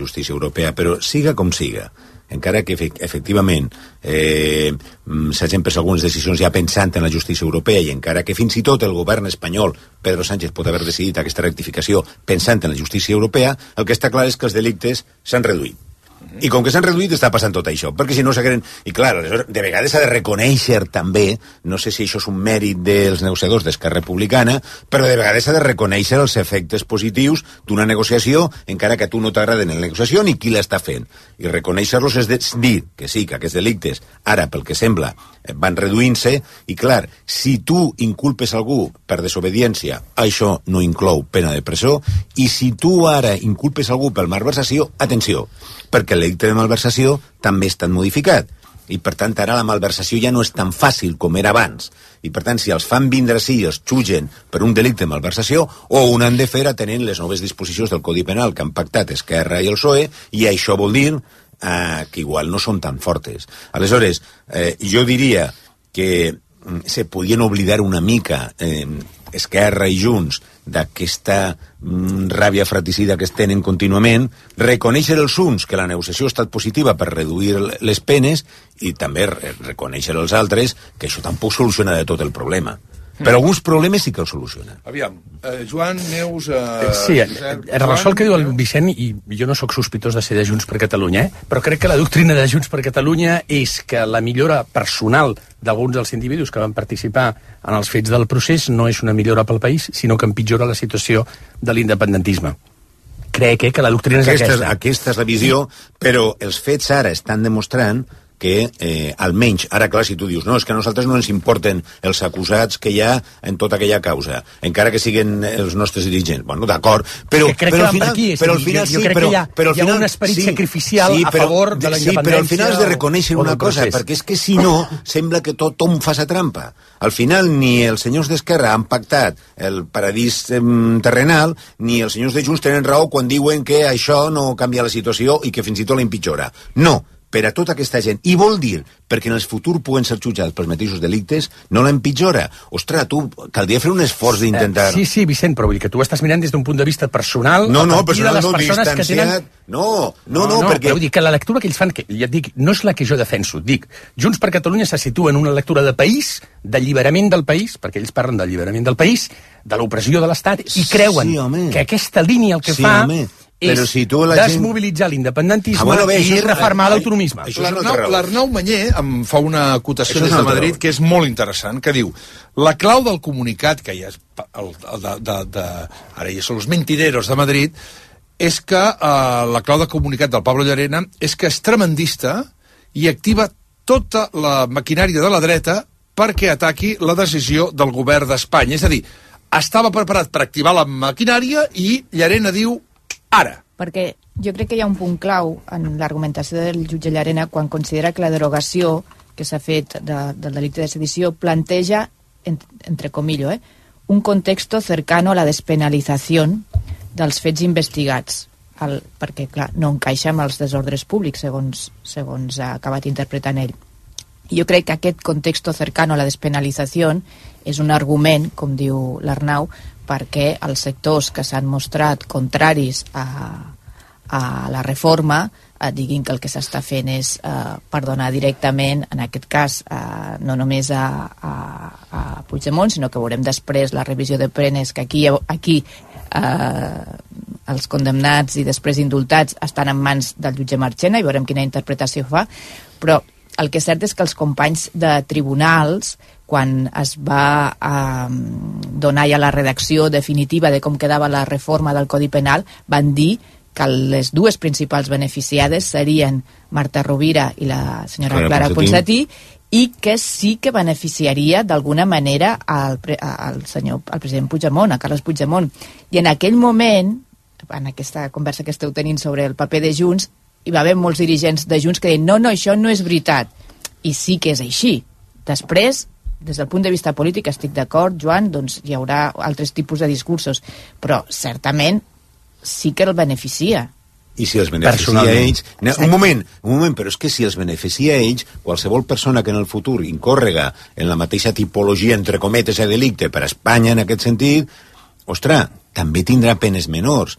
justícia europea, però siga com siga, encara que efectivament s'hagin pres algunes decisions ja pensant en la justícia europea i encara que fins i tot el govern espanyol, Pedro Sánchez, pot haver decidit aquesta rectificació pensant en la justícia europea, el que està clar és que els delictes s'han reduït. I com que s'han reduït està passant tot això, perquè si no s'hagueren... I clar, de vegades s'ha de reconèixer també, no sé si això és un mèrit dels negociadors d'Esquerra Republicana, però de vegades s'ha de reconèixer els efectes positius d'una negociació, encara que a tu no t'agraden en la negociació ni qui l'està fent. I reconèixer-los és dir que sí, que aquests delictes, ara, pel que sembla, van reduint-se, i clar, si tu inculpes algú per desobediència, això no inclou pena de presó, i si tu ara inculpes algú per malversació, atenció, perquè el delicte de malversació també està modificat. I, per tant, ara la malversació ja no és tan fàcil com era abans. I, per tant, si els fan vindre així i els jutgen per un delicte de malversació, o ho han de fer atenent les noves disposicions del Codi Penal que han pactat Esquerra i el PSOE, i això vol dir que igual no són tan fortes. Aleshores, jo diria que se podien oblidar una mica Esquerra i Junts d'aquesta ràbia fratricida que es tenen contínuament, reconèixer els uns que la negociació ha estat positiva per reduir les penes i també reconèixer els altres que això tampoc soluciona de tot el problema. Però alguns problemes sí que els solucionen. Aviam, Joan, Neus... Sí, en relació al que diu el Vicent, i jo no sóc sospitós de ser de Junts per Catalunya, però crec que la doctrina de Junts per Catalunya és que la millora personal d'alguns dels individus que van participar en els fets del procés no és una millora pel país, sinó que empitjora la situació de l'independentisme. Crec que la doctrina és aquesta. Aquesta és la visió, però els fets ara estan demostrant que almenys, ara clar, si tu dius no, és que a nosaltres no ens importen els acusats que hi ha en tota aquella causa, encara que siguen els nostres dirigents, bueno, d'acord, però al final jo crec que hi ha un esperit sacrificial a favor de la independència. Sí, però al final has de reconèixer una cosa, perquè és que si no, sembla que tothom fa sa trampa. Al final ni els senyors d'Esquerra han pactat el paradís terrenal, ni els senyors de Junts tenen raó quan diuen que això no canvia la situació i que fins i tot la empitjora. No, per a tota aquesta gent. I vol dir, perquè en el futur puguen ser jutjats pels mateixos delictes, no l'empitjora. Ostres, tu, caldria fer un esforç d'intentar... Sí, Vicent, però vull dir que tu ho estàs mirant des d'un punt de vista personal, a partir de les persones que tenen... No, perquè... Però vull dir que la lectura que ells fan, que ja et dic, no és la que jo defenso, dic, Junts per Catalunya se situa en una lectura de país, d'alliberament del país, perquè ells parlen d'alliberament del país, de l'opressió de l'Estat, i creuen que aquesta línia el que fa... és desmobilitzar l'independentisme i refermar l'autonomisme. L'Arnau Mañé em fa una acotació des de Madrid que és molt interessant, que diu la clau del comunicat, que ja és ara ja són els mentideros de Madrid, és que la clau del comunicat del Pablo Llarena és que és tremendista i activa tota la maquinària de la dreta perquè ataqui la decisió del govern d'Espanya. És a dir, estava preparat per activar la maquinària i Llarena diu ara. Perquè jo crec que hi ha un punt clau en l'argumentació del jutge Llarena quan considera que la derogació que s'ha fet del delicte de sedició planteja, entre comillas, un contexto cercano a la despenalització dels fets investigats, perquè, clar, no encaixa amb els desordres públics, segons ha acabat interpretant ell. I jo crec que aquest contexto cercano a la despenalització és un argument, com diu l'Arnau, perquè els sectors que s'han mostrat contraris a la reforma diguin que el que s'està fent és perdonar directament, en aquest cas, no només a Puigdemont, sinó que veurem després la revisió de penes, que aquí els condemnats i després indultats estan en mans del jutge Marchena i veurem quina interpretació fa, però el que és cert és que els companys de tribunals, quan es va donar ja la redacció definitiva de com quedava la reforma del Codi Penal, van dir que les dues principals beneficiades serien Marta Rovira i la senyora Clara Ponsatí, i que sí que beneficiaria d'alguna manera al president Puigdemont, a Carles Puigdemont. I en aquell moment, en aquesta conversa que esteu tenint sobre el paper de Junts, hi va haver molts dirigents de Junts que deien no, això no és veritat. I sí que és així. Després, des del punt de vista polític, estic d'acord, Joan, doncs hi haurà altres tipus de discursos, però certament sí que el beneficia. I si els beneficia a ells... Un moment, però és que si els beneficia a ells, qualsevol persona que en el futur incórrega en la mateixa tipologia, entre cometes, de delicte per a Espanya, en aquest sentit, ostres, també tindrà penes menors.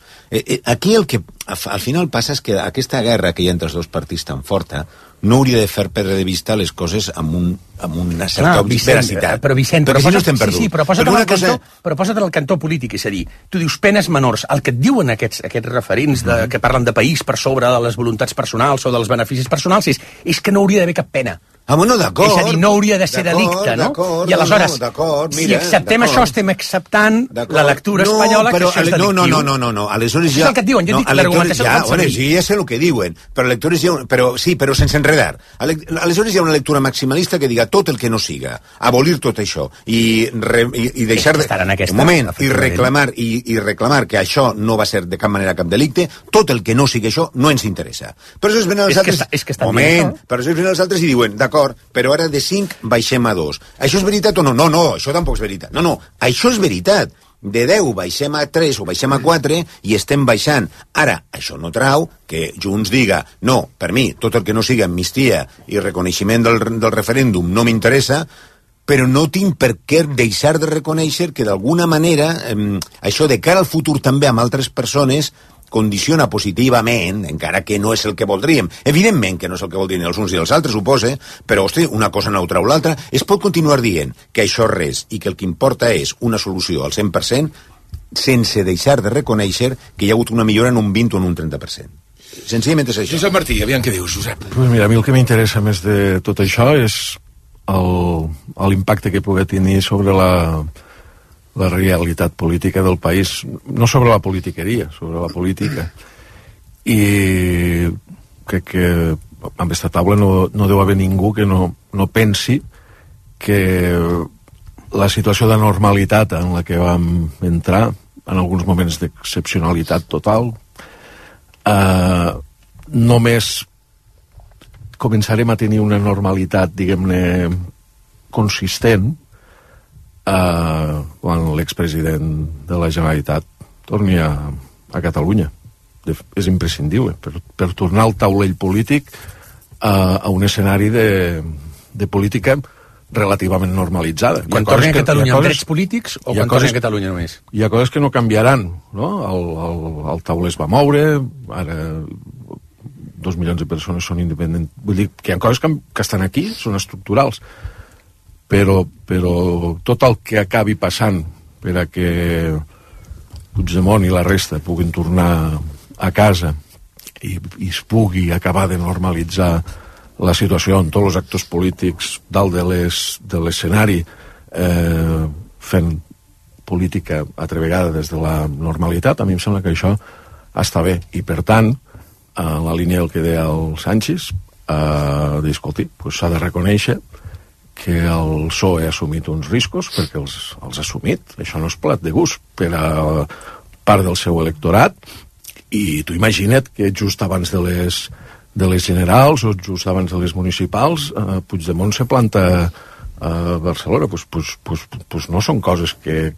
Aquí el que al final passa és que aquesta guerra que hi ha entre els dos partits tan forta no hauria de fer perdre de vista les coses amb una certa veracitat. Però Vicent, perquè si no estem perduts. Sí, però posa't en el cantó polític, és a dir, tu dius penes menors, el que et diuen aquests referents que parlen de país per sobre de les voluntats personals o dels beneficis personals és que no hauria d'haver cap pena. Bueno, d'acord. És a dir, no hauria de ser delicte, no? I aleshores, si acceptem això, estem acceptant la lectura espanyola que això és delictiu. No. Aleshores ja... Això és el que et diuen, jo dic l'argumentació que fan servir. Ja sé el que diuen, però sense enredar. Aleshores hi ha una lectura maximalista que diga tot el que no siga, abolir tot això, i deixar de... Un moment, i reclamar que això no va ser de cap manera cap delicte, tot el que no sigui això no ens interessa. Però això es venen els altres... Però això es venen els altres i diuen, d'acord, però ara de 5 baixem a 2. Això és veritat o no? No, això tampoc és veritat. No, això és veritat. De 10 baixem a 3 o baixem a 4 i estem baixant. Ara, això no trau que Junts diga no, per mi, tot el que no sigui amnistia i reconeixement del referèndum no m'interessa, però no tinc per què deixar de reconèixer que d'alguna manera això de cara al futur també amb altres persones condiciona positivament, encara que no és el que voldríem. Evidentment que no és el que voldrien els uns i els altres, suposa, però, hosti, una cosa no trau l'altra. Es pot continuar dient que això és res i que el que importa és una solució al 100% sense deixar de reconèixer que hi ha hagut una millora en un 20 o en un 30%. Senzillament és això. Josep Martí, aviam què dius, Josep. Pues mira, a mi el que m'interessa més de tot això és l'impacte que pugui tenir sobre la realitat política del país, no sobre la politiqueria, sobre la política. I crec que amb aquesta taula no deu haver ningú que no pensi que la situació de normalitat en la que vam entrar, en alguns moments d'excepcionalitat total, només començarem a tenir una normalitat, diguem-ne, consistent quan l'expresident de la Generalitat torni a Catalunya. És imprescindible per tornar al taulell polític a un escenari de política relativament normalitzada. Quan torni a Catalunya amb drets polítics o quan torni a Catalunya només? Hi ha coses que no canviaran, no? El tauler es va moure, ara 2 milions de persones són independents. Vull dir que hi ha coses que estan aquí, són estructurals. Però tot el que acabi passant per a que Puigdemont i la resta puguin tornar a casa i es pugui acabar de normalitzar la situació en tots els actors polítics dalt de l'escenari fent política altra vegada des de la normalitat, a mi em sembla que això està bé. I per tant, en la línia del que deia el Sánchez, d'escolti, s'ha de reconèixer que el PSOE ha assumit uns riscos perquè els ha assumit. Això no és plat de gust per a part del seu electorat, i tu imagina't que just abans de les generals o just abans de les municipals Puigdemont se planta a Barcelona. Pues no són coses que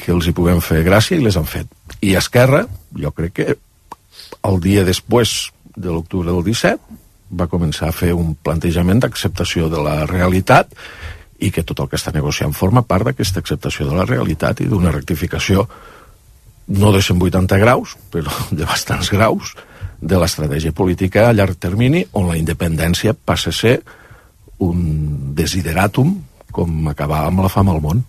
els hi puguem fer gràcia, i les han fet. I Esquerra, jo crec que el dia després de l'octubre del 17 va començar a fer un plantejament d'acceptació de la realitat, i que tot el que està negociant forma part d'aquesta acceptació de la realitat i d'una rectificació no de 180 graus, però de bastants graus, de l'estratègia política a llarg termini, on la independència passa a ser un desideratum com acabar amb la fam al món.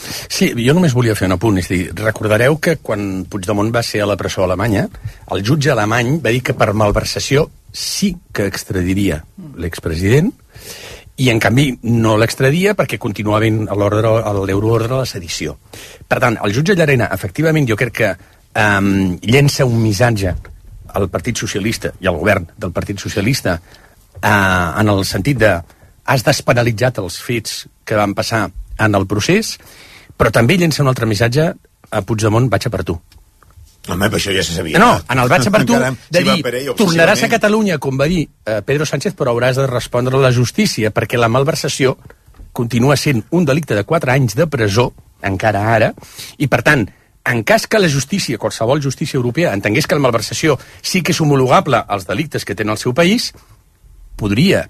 Sí, jo només volia fer un apunt. És a dir, recordareu que quan Puigdemont va ser a la presó alemanya, el jutge alemany va dir que per malversació sí que extradiria l'expresident, i en canvi no l'extradia perquè continua havent l'euroordre de la sedició. Per tant, el jutge Llarena, efectivament, jo crec que llença un missatge al Partit Socialista i al govern del Partit Socialista en el sentit de has despenalitzat els fets que van passar en el procés, però també llença un altre missatge a Puigdemont, vaig a per tu. Home, però això ja se sabia. No, en el vaig a per tu de dir, tornaràs a Catalunya, com va dir Pedro Sánchez, però hauràs de respondre a la justícia, perquè la malversació continua sent un delicte de 4 anys de presó, encara ara, i per tant, en cas que la justícia, qualsevol justícia europea, entengués que la malversació sí que és homologable als delictes que té el seu país, podria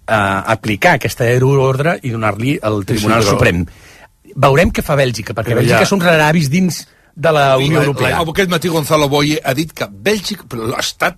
aplicar aquesta euroordre i donar-li al Tribunal Suprem. Veurem què fa Bèlgica, perquè Bèlgica són raravis dins de la Unió Europea. Aquest matí Gonzalo Boye ha dit que Bèlgica... ha estat...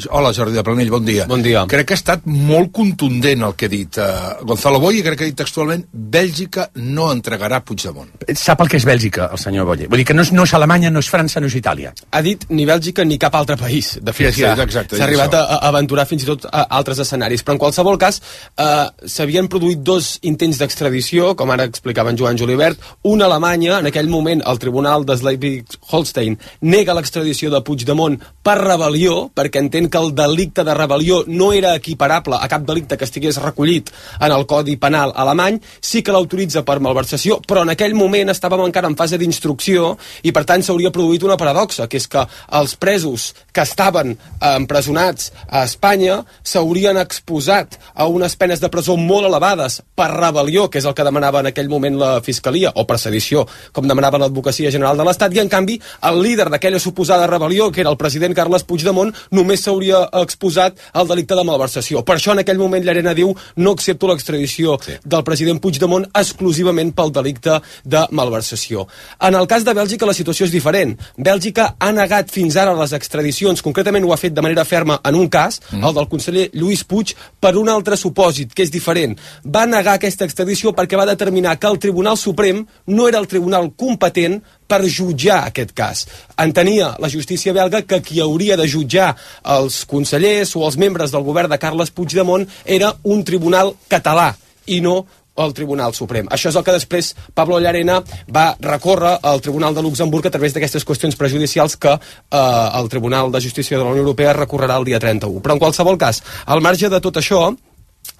Hola, Jordi de Planell, bon dia. Bon dia. Crec que ha estat molt contundent el que ha dit Gonzalo Boye, crec que ha dit textualment Bèlgica no entregarà Puigdemont. Sap el que és Bèlgica, el senyor Boye. Vull dir que no és Alemanya, no és França, no és Itàlia. Ha dit ni Bèlgica ni cap altre país. De fet, Sí, exacte, s'ha arribat a aventurar fins i tot a altres escenaris. Però en qualsevol cas, s'havien produït 2 intents d'extradició, com ara explicava en Joan Julibert. Una a Alemanya, en aquell moment el tribunal de Schleswig-Holstein nega l'extradició de Puigdemont per rebel·lió, perquè entén que el delicte de rebel·lió no era equiparable a cap delicte que estigués recollit en el Codi Penal alemany, sí que l'autoritza per malversació, però en aquell moment estàvem encara en fase d'instrucció i per tant s'hauria produït una paradoxa, que és que els presos que estaven empresonats a Espanya s'haurien exposat a unes penes de presó molt elevades per rebel·lió, que és el que demanava en aquell moment la Fiscalia, o per sedició, com demanava l'Advocacia General de l'Estat, i en canvi el líder d'aquella suposada rebel·lió, que era el president Carles Puigdemont, només s'hauria exposat al delicte de malversació. Per això en aquell moment Llarena diu no accepto l'extradició del president Puigdemont exclusivament pel delicte de malversació. En el cas de Bèlgica la situació és diferent. Bèlgica ha negat fins ara les extradicions, concretament ho ha fet de manera ferma en un cas, el del conseller Lluís Puig, per un altre supòsit, que és diferent. Va negar aquesta extradició perquè va determinar que el Tribunal Suprem no era el tribunal competent per jutjar aquest cas. Entenia la justícia belga que qui hauria de jutjar els consellers o els membres del govern de Carles Puigdemont era un tribunal català i no el Tribunal Suprem. Això és el que després Pablo Llarena va recórrer al Tribunal de Luxemburg a través d'aquestes qüestions prejudicials que el Tribunal de Justícia de la Unió Europea recorrerà el dia 31. Però en qualsevol cas, al marge de tot això,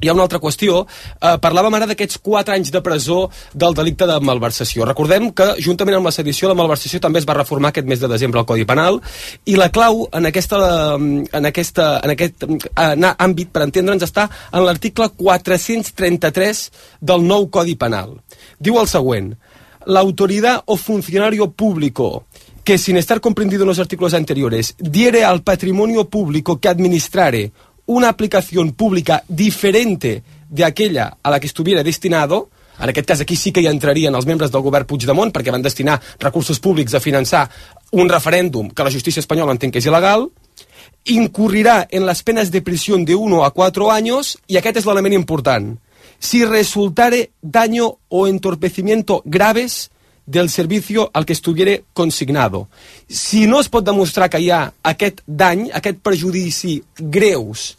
hi ha una altra qüestió. Parlàvem ara d'aquests 4 anys de presó del delicte de malversació. Recordem que, juntament amb la sedició, la malversació també es va reformar aquest mes de desembre al Codi Penal, i la clau en aquest àmbit, per entendre'ns, està en l'article 433 del nou Codi Penal. Diu el següent: la autoridad o funcionario público que, sin estar comprendido en los artículos anteriores, diere al patrimonio público que administrare una aplicación pública diferente de aquella a la que estuviera destinado, en aquest cas aquí sí que hi entrarien els membres del govern Puigdemont perquè van destinar recursos públics a finançar un referèndum que la justícia espanyola entén que és il·legal, incurrirà en les penes de prisión de 1 a 4 años, i aquest és l'element important, si resultare daño o entorpecimiento graves del servicio al que estuviera consignado. Si no es pot demostrar que hi ha aquest dany, aquest perjudici greus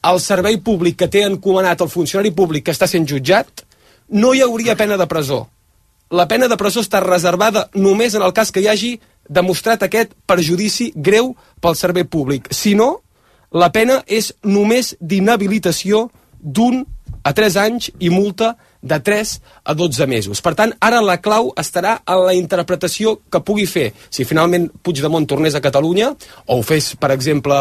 al servei públic que té encomanat el funcionari públic que està sent jutjat, no hi hauria pena de presó. La pena de presó està reservada només en el cas que hi hagi demostrat aquest perjudici greu pel servei públic. Si no, la pena és només d'inhabilitació d'1 a 3 anys i multa de 3 a 12 mesos. Per tant, ara la clau estarà en la interpretació que pugui fer. Si finalment Puigdemont tornés a Catalunya, o ho fes, per exemple,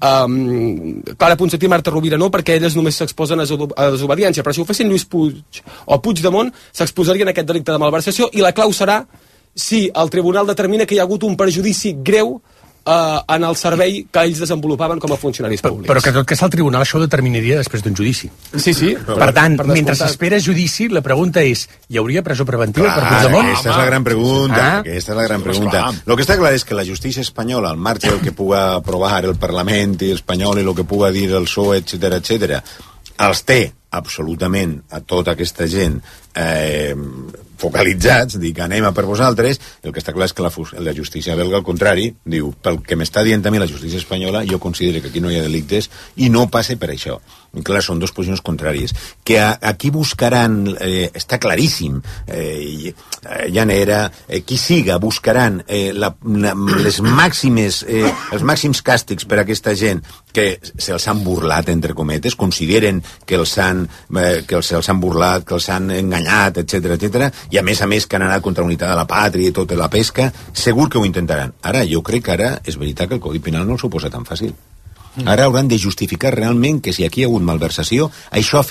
Clara Ponsatí i Marta Rovira no, perquè elles només s'exposen a desobediència, però si ho fessin Lluís Puig o Puigdemont, s'exposarien a aquest delicte de malversació, i la clau serà si el tribunal determina que hi ha hagut un perjudici greu en el servei que ells desenvolupaven com a funcionaris públics. Però que tot que és el tribunal això ho determinaria després d'un judici. Sí, sí. Per tant, mentre s'espera judici, la pregunta és, hi hauria presó preventiva per Puigdemont? Aquesta és la gran pregunta. Aquesta és la gran pregunta. Lo que està clar és que la justícia espanyola, al marge del que puga aprovar el Parlament espanyol i el que puga dir el PSOE, etc., els té absolutament a tota aquesta gent focalitzats, dic, anem a per vosaltres. El que està clar és que la justícia belga, al contrari, diu, pel que m'està dient a mi la justícia espanyola, jo considero que aquí no hi ha delictes i no passe per això. I clar, són 2 posicions contràries. Que aquí buscaran, està claríssim, Llanera, qui siga, buscaran els màxims càstigs per a aquesta gent que se'ls han burlat, entre cometes, consideren que se'ls han burlat, que els han enganyat, etc., i a més que han anat contra la unitat de la pàtria i tota la pesca, segur que ho intentaran. Ara, jo crec que ara és veritat que el Codi Penal no s'ho posa tan fàcil. Ara hauran de justificar realment que si aquí hi ha hagut malversació, això ha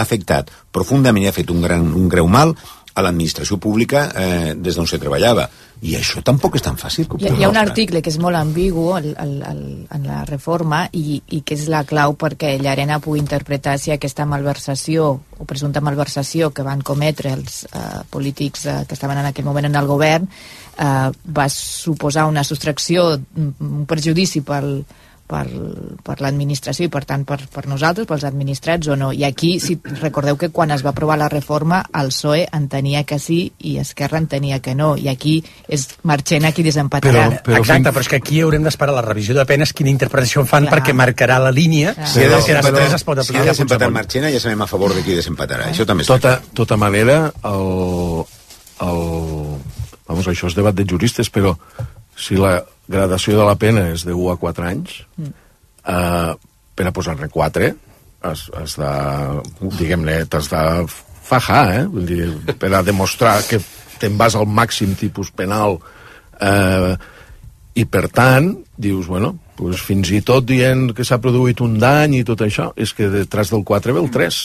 afectat profundament i ha fet un greu mal a l'administració pública des d'on se treballava. I això tampoc és tan fàcil. Hi ha un article que és molt ambigu en la reforma i que és la clau perquè Llarena pugui interpretar si aquesta malversació o presumpta malversació que van cometre els polítics que estaven en aquell moment en el govern va suposar una sostracció, un perjudici per l'administració i per tant per nosaltres, pels administrats o no. I aquí, si recordeu que quan es va aprovar la reforma el PSOE entenia que sí i Esquerra entenia que no, i aquí és Marchena qui desempatarà. Exacte, però és que aquí haurem d'esperar la revisió de penes quina interpretació fan perquè marcarà la línia si després es pot aplicar. Si ha desempatat Marchena ja sabem a favor de qui desempatarà. Això també és tota manera vamos, això és debat de juristes, però si la gradació de la pena és de 1 a 4 anys, per a posar-ne 4, has de, diguem-ne, t'has de fajar, vull dir, per a demostrar que te'n vas al màxim tipus penal, i per tant, dius, bueno, pues fins i tot dient que s'ha produït un dany i tot això, és que detrás del 4 ve el 3.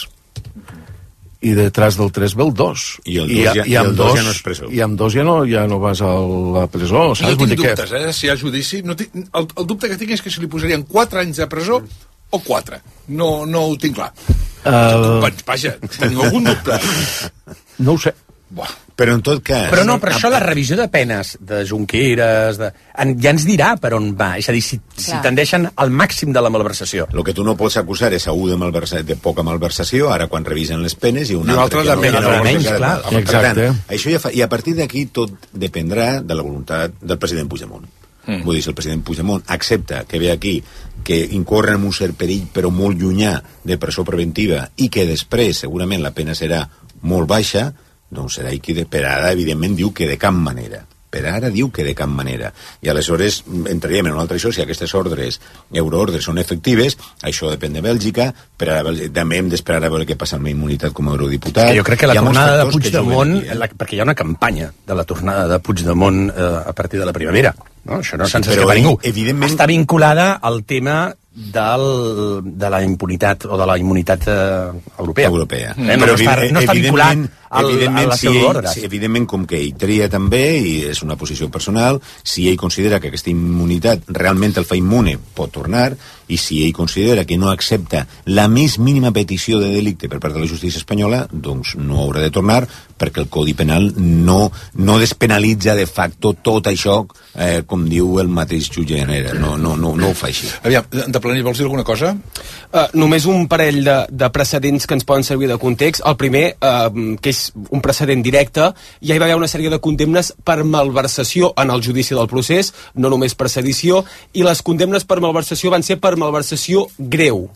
I detrás del 3 ve el 2. I el 2 ja no és presó. I amb 2 ja no vas a la presó, saps? No tinc dubtes, si hi ha judici. El dubte que tinc és que si li posarien 4 anys de presó o 4. No ho tinc clar. Vaja, teniu algun dubte? No ho sé. Però en tot cas... Però això la revisió de penes de Junqueras ja ens dirà per on va, és a dir, si tendeixen al màxim de la malversació. El que tu no pots acusar és a un de poca malversació, ara quan revisen les penes, i un altre de menys, clar. Exacte. I a partir d'aquí tot dependrà de la voluntat del president Puigdemont. Vull dir, si el president Puigdemont accepta que ve aquí que incorren en un cert perill però molt llunyà de presó preventiva i que després segurament la pena serà molt baixa, doncs serà qui per ara evidentment diu que de cap manera. Per ara diu que de cap manera. I aleshores entraríem en un altre això, si aquestes ordres, euroordres, són efectives, això depèn de Bèlgica, també hem d'esperar a veure què passa amb la immunitat com a eurodiputat. Jo crec que la tornada de Puigdemont, perquè hi ha una campanya de la tornada de Puigdemont a partir de la primavera, no? Això no se'ns escapa ningú. Evidentment... Està vinculada al tema de la impunitat o de la immunitat europea. No està vinculat a la pseudoordres. Evidentment, com que ell tria també, i és una posició personal, si ell considera que aquesta immunitat realment el fa immune, pot tornar, i si ell considera que no accepta la més mínima petició de delicte per part de la justícia espanyola, doncs no haurà de tornar, perquè el Codi Penal no despenalitza de facto tot això, com diu el mateix jutge Llanera. No ho fa així. Aviam, de Planell, vols dir alguna cosa? Només un parell de precedents que ens poden servir de context. El primer, que és un precedent directe, ja hi va haver una sèrie de condemnes per malversació en el judici del procés, no només per sedició, i les condemnes per malversació van ser per malversació greu.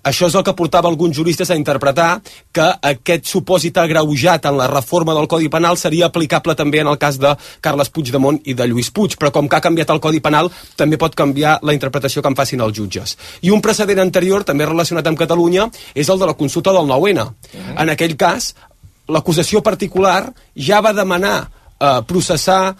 Això és el que portava alguns juristes a interpretar que aquest supòsit agreujat en la reforma del Codi Penal seria aplicable també en el cas de Carles Puigdemont i de Lluís Puig, però com que ha canviat el Codi Penal també pot canviar la interpretació que en facin els jutges. I un precedent anterior, també relacionat amb Catalunya, és el de la consulta del 9-N. En aquell cas, l'acusació particular ja va demanar processar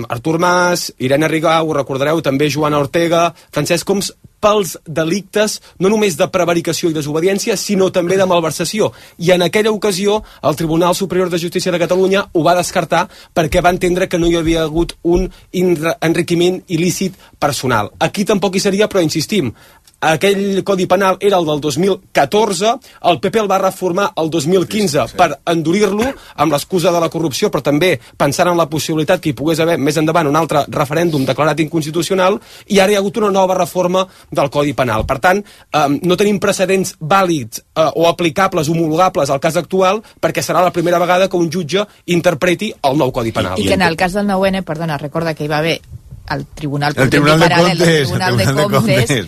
Artur Mas, Irene Rigau, ho recordareu, també Joana Ortega, Francesc Homs, pels delictes no només de prevaricació i desobediència, sinó també de malversació. I en aquella ocasió el Tribunal Superior de Justícia de Catalunya ho va descartar perquè va entendre que no hi havia hagut un enriquiment il·lícit personal. Aquí tampoc hi seria, però insistim, aquell Codi Penal era el del 2014, el PP el va reformar el 2015 per endurir-lo amb l'excusa de la corrupció, però també pensant en la possibilitat que hi pogués haver més endavant un altre referèndum declarat inconstitucional, i ara hi ha hagut una nova reforma del Codi Penal. Per tant, no tenim precedents vàlids o aplicables, homologables al cas actual, perquè serà la primera vegada que un jutge interpreti el nou Codi Penal. I que en el cas del 9-N, perdona, recorda que hi va haver el Tribunal de Comptes,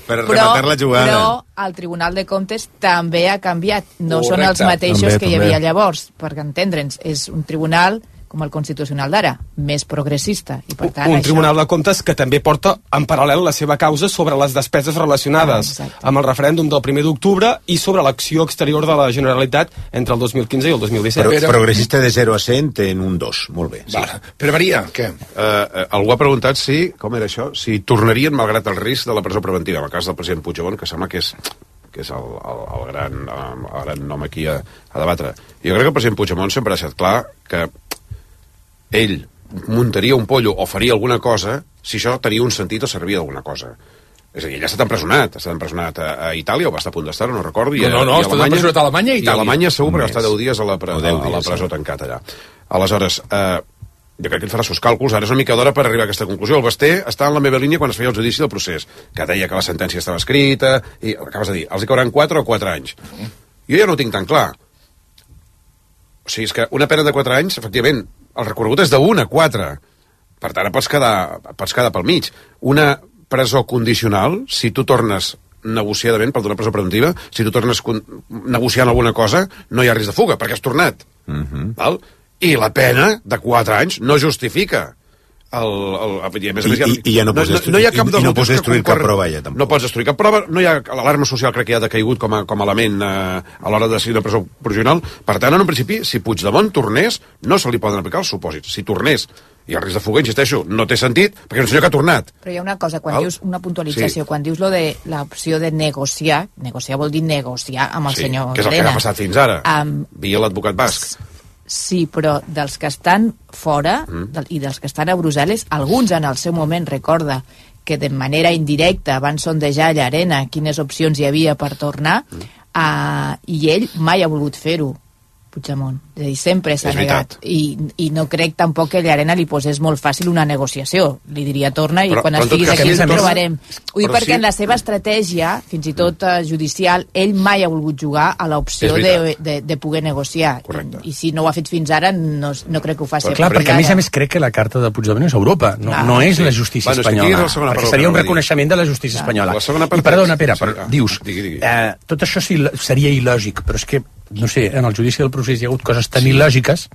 per rematar la jugada. Però el Tribunal de Comptes també ha canviat. No són els mateixos que hi havia llavors, perquè entendre'ns, és un tribunal com el Constitucional d'ara, més progressista. I per tant, un Tribunal de Comptes que també porta en paral·lel la seva causa sobre les despeses relacionades amb el referèndum del 1 d'octubre i sobre l'acció exterior de la Generalitat entre el 2015 i el 2017. Progressista de 0 a 100 en un 2, molt bé. Sí. Però Maria, què? Algú ha preguntat si, com era això, si tornarien malgrat el risc de la presó preventiva, en el cas del president Puigdemont, que sembla que és el gran nom aquí a debatre. Jo crec que el president Puigdemont sempre ha estat clar que ell muntaria un pollo o faria alguna cosa si això tenia un sentit o servia d'alguna cosa. És a dir, ell ha estat empresonat a Itàlia, o va estar a punt d'estar, no recordo. No, ha estat empresonat a Alemanya i a Itàlia. I a Alemanya segur, perquè va estar 10 dies a la presó tancat allà. Aleshores, jo crec que ell farà els seus càlculs, ara és una mica d'hora per arribar a aquesta conclusió. El Basté està en la meva línia quan es feia el judici del procés, que deia que la sentència estava escrita, i acabes de dir, els hi cauran 4 o 4 anys. Jo ja no ho tinc tan clar. O sigui, és que una pena de 4 anys, efectivament, el recorregut és de 1 a 4. Per tant, pots quedar pel mig. Una presó condicional, si tu tornes negociadament, per donar presó preventiva, si tu tornes negociant alguna cosa, no hi ha risc de fuga, perquè has tornat. Val? I la pena de 4 anys no justifica I ja no pots destruir cap prova ja, tampoc. No pots destruir cap prova, no hi ha l'alarma social, crec que ja ha decaigut com a element a l'hora de decidir una presó provisional. Per tant, en un principi, si Puigdemont tornés, no se li poden aplicar els supòsits. Si tornés i el risc de fuga, insisteixo, no té sentit, perquè és un senyor que ha tornat. Però hi ha una cosa, quan dius una puntualització, quan dius lo de l'opció de negociar vol dir negociar amb el senyor Elena. Que és el que ha passat fins ara, via l'advocat basc. Sí, però dels que estan fora i dels que estan a Brussel·les, alguns en el seu moment recorda que de manera indirecta van sondejar a Llarena quines opcions hi havia per tornar, i ell mai ha volgut fer-ho, Puigdemont. És a dir, sempre s'ha negat. I no crec tampoc que Llarena li posés molt fàcil una negociació. Li diria torna i quan estiguis aquí ens trobarem. Ho dic perquè en la seva estratègia, fins i tot judicial, ell mai ha volgut jugar a l'opció de poder negociar. I si no ho ha fet fins ara, no crec que ho faci. Clar, perquè a més crec que la carta de Puigdemont és Europa, no és la justícia espanyola. Perquè seria un reconeixement de la justícia espanyola. I perdona, Pere, dius, tot això seria il·lògic, però és que no sé, en el judici del procés hi ha hagut coses tan il·lògiques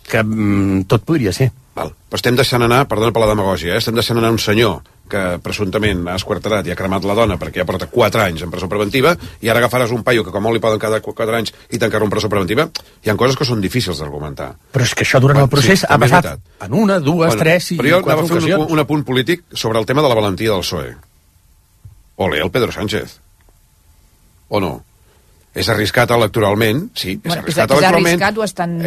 que tot podria ser. Però estem deixant anar, perdona per la demagògia, estem deixant anar un senyor que presumptament ha esquarterat i ha cremat la dona perquè ja porta 4 anys en presó preventiva, i ara agafaràs un paio que com molt li poden quedar 4 anys i tancar-lo en presó preventiva. Hi ha coses que són difícils d'argumentar. Però és que això durant el procés ha passat en 1, 2, 3 i 4 ocasions. Però jo anava a fer un apunt polític sobre el tema de la valentia del PSOE. Ole, el Pedro Sánchez. O no? És arriscat electoralment, sí, és arriscat electoralment.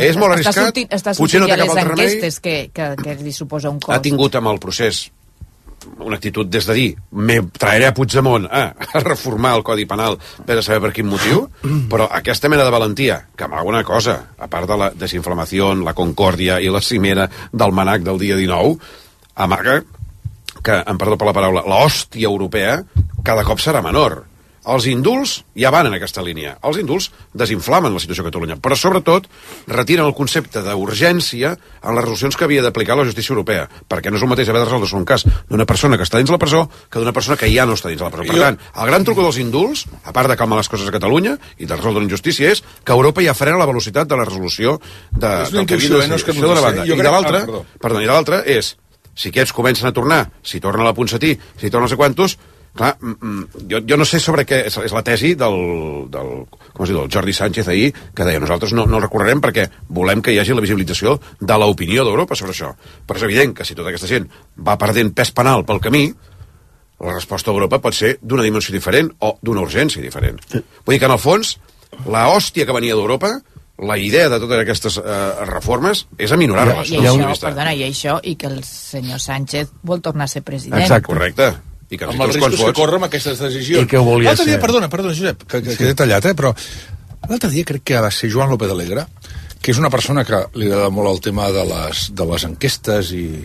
És molt arriscat. Està sortint ja les enquestes que li suposa un cost. Ha tingut amb el procés una actitud des de dir me traeré a Puigdemont a reformar el Codi Penal per a saber per quin motiu, però aquesta mena de valentia, que amaga una cosa, a part de la desinflamació, la concòrdia i la cimera del manac del dia 19, amaga que, em perdó per la paraula, l'hòstia europea cada cop serà menor. Els indults ja van en aquesta línia. Els indults desinflamen la situació a Catalunya, però sobretot retiren el concepte d'urgència en les resolucions que havia d'aplicar la justícia europea, perquè no és el mateix haver de resoldre un cas d'una persona que està dins la presó que d'una persona que ja no està dins la presó. Per tant, el gran truc dels indults, a part de calmar les coses a Catalunya i de resoldre la injustícia, és que Europa ja frena la velocitat de la resolució del que havia de ser d'una banda. I de l'altra és, si aquests comencen a tornar, si torna la Ponsatí, si torna no sé quantos. Clar, jo no sé sobre què és la tesi del Jordi Sánchez ahir, que deia nosaltres no el recorrerem perquè volem que hi hagi la visibilització de l'opinió d'Europa sobre això. Però és evident que si tota aquesta gent va perdent pes penal pel camí, la resposta d'Europa pot ser d'una dimensió diferent o d'una urgència diferent. Vull dir que, en el fons, la hòstia que venia d'Europa, la idea de totes aquestes reformes és aminorar-les. I que el senyor Sánchez vol tornar a ser president. Exacte. Correcte. I que amb els riscos que corre amb aquestes decisions. I que ho volia ser. Perdona, Josep, que he detallat, però l'altre dia crec que va ser Joan López Alegre, que és una persona que li agrada molt el tema de les enquestes i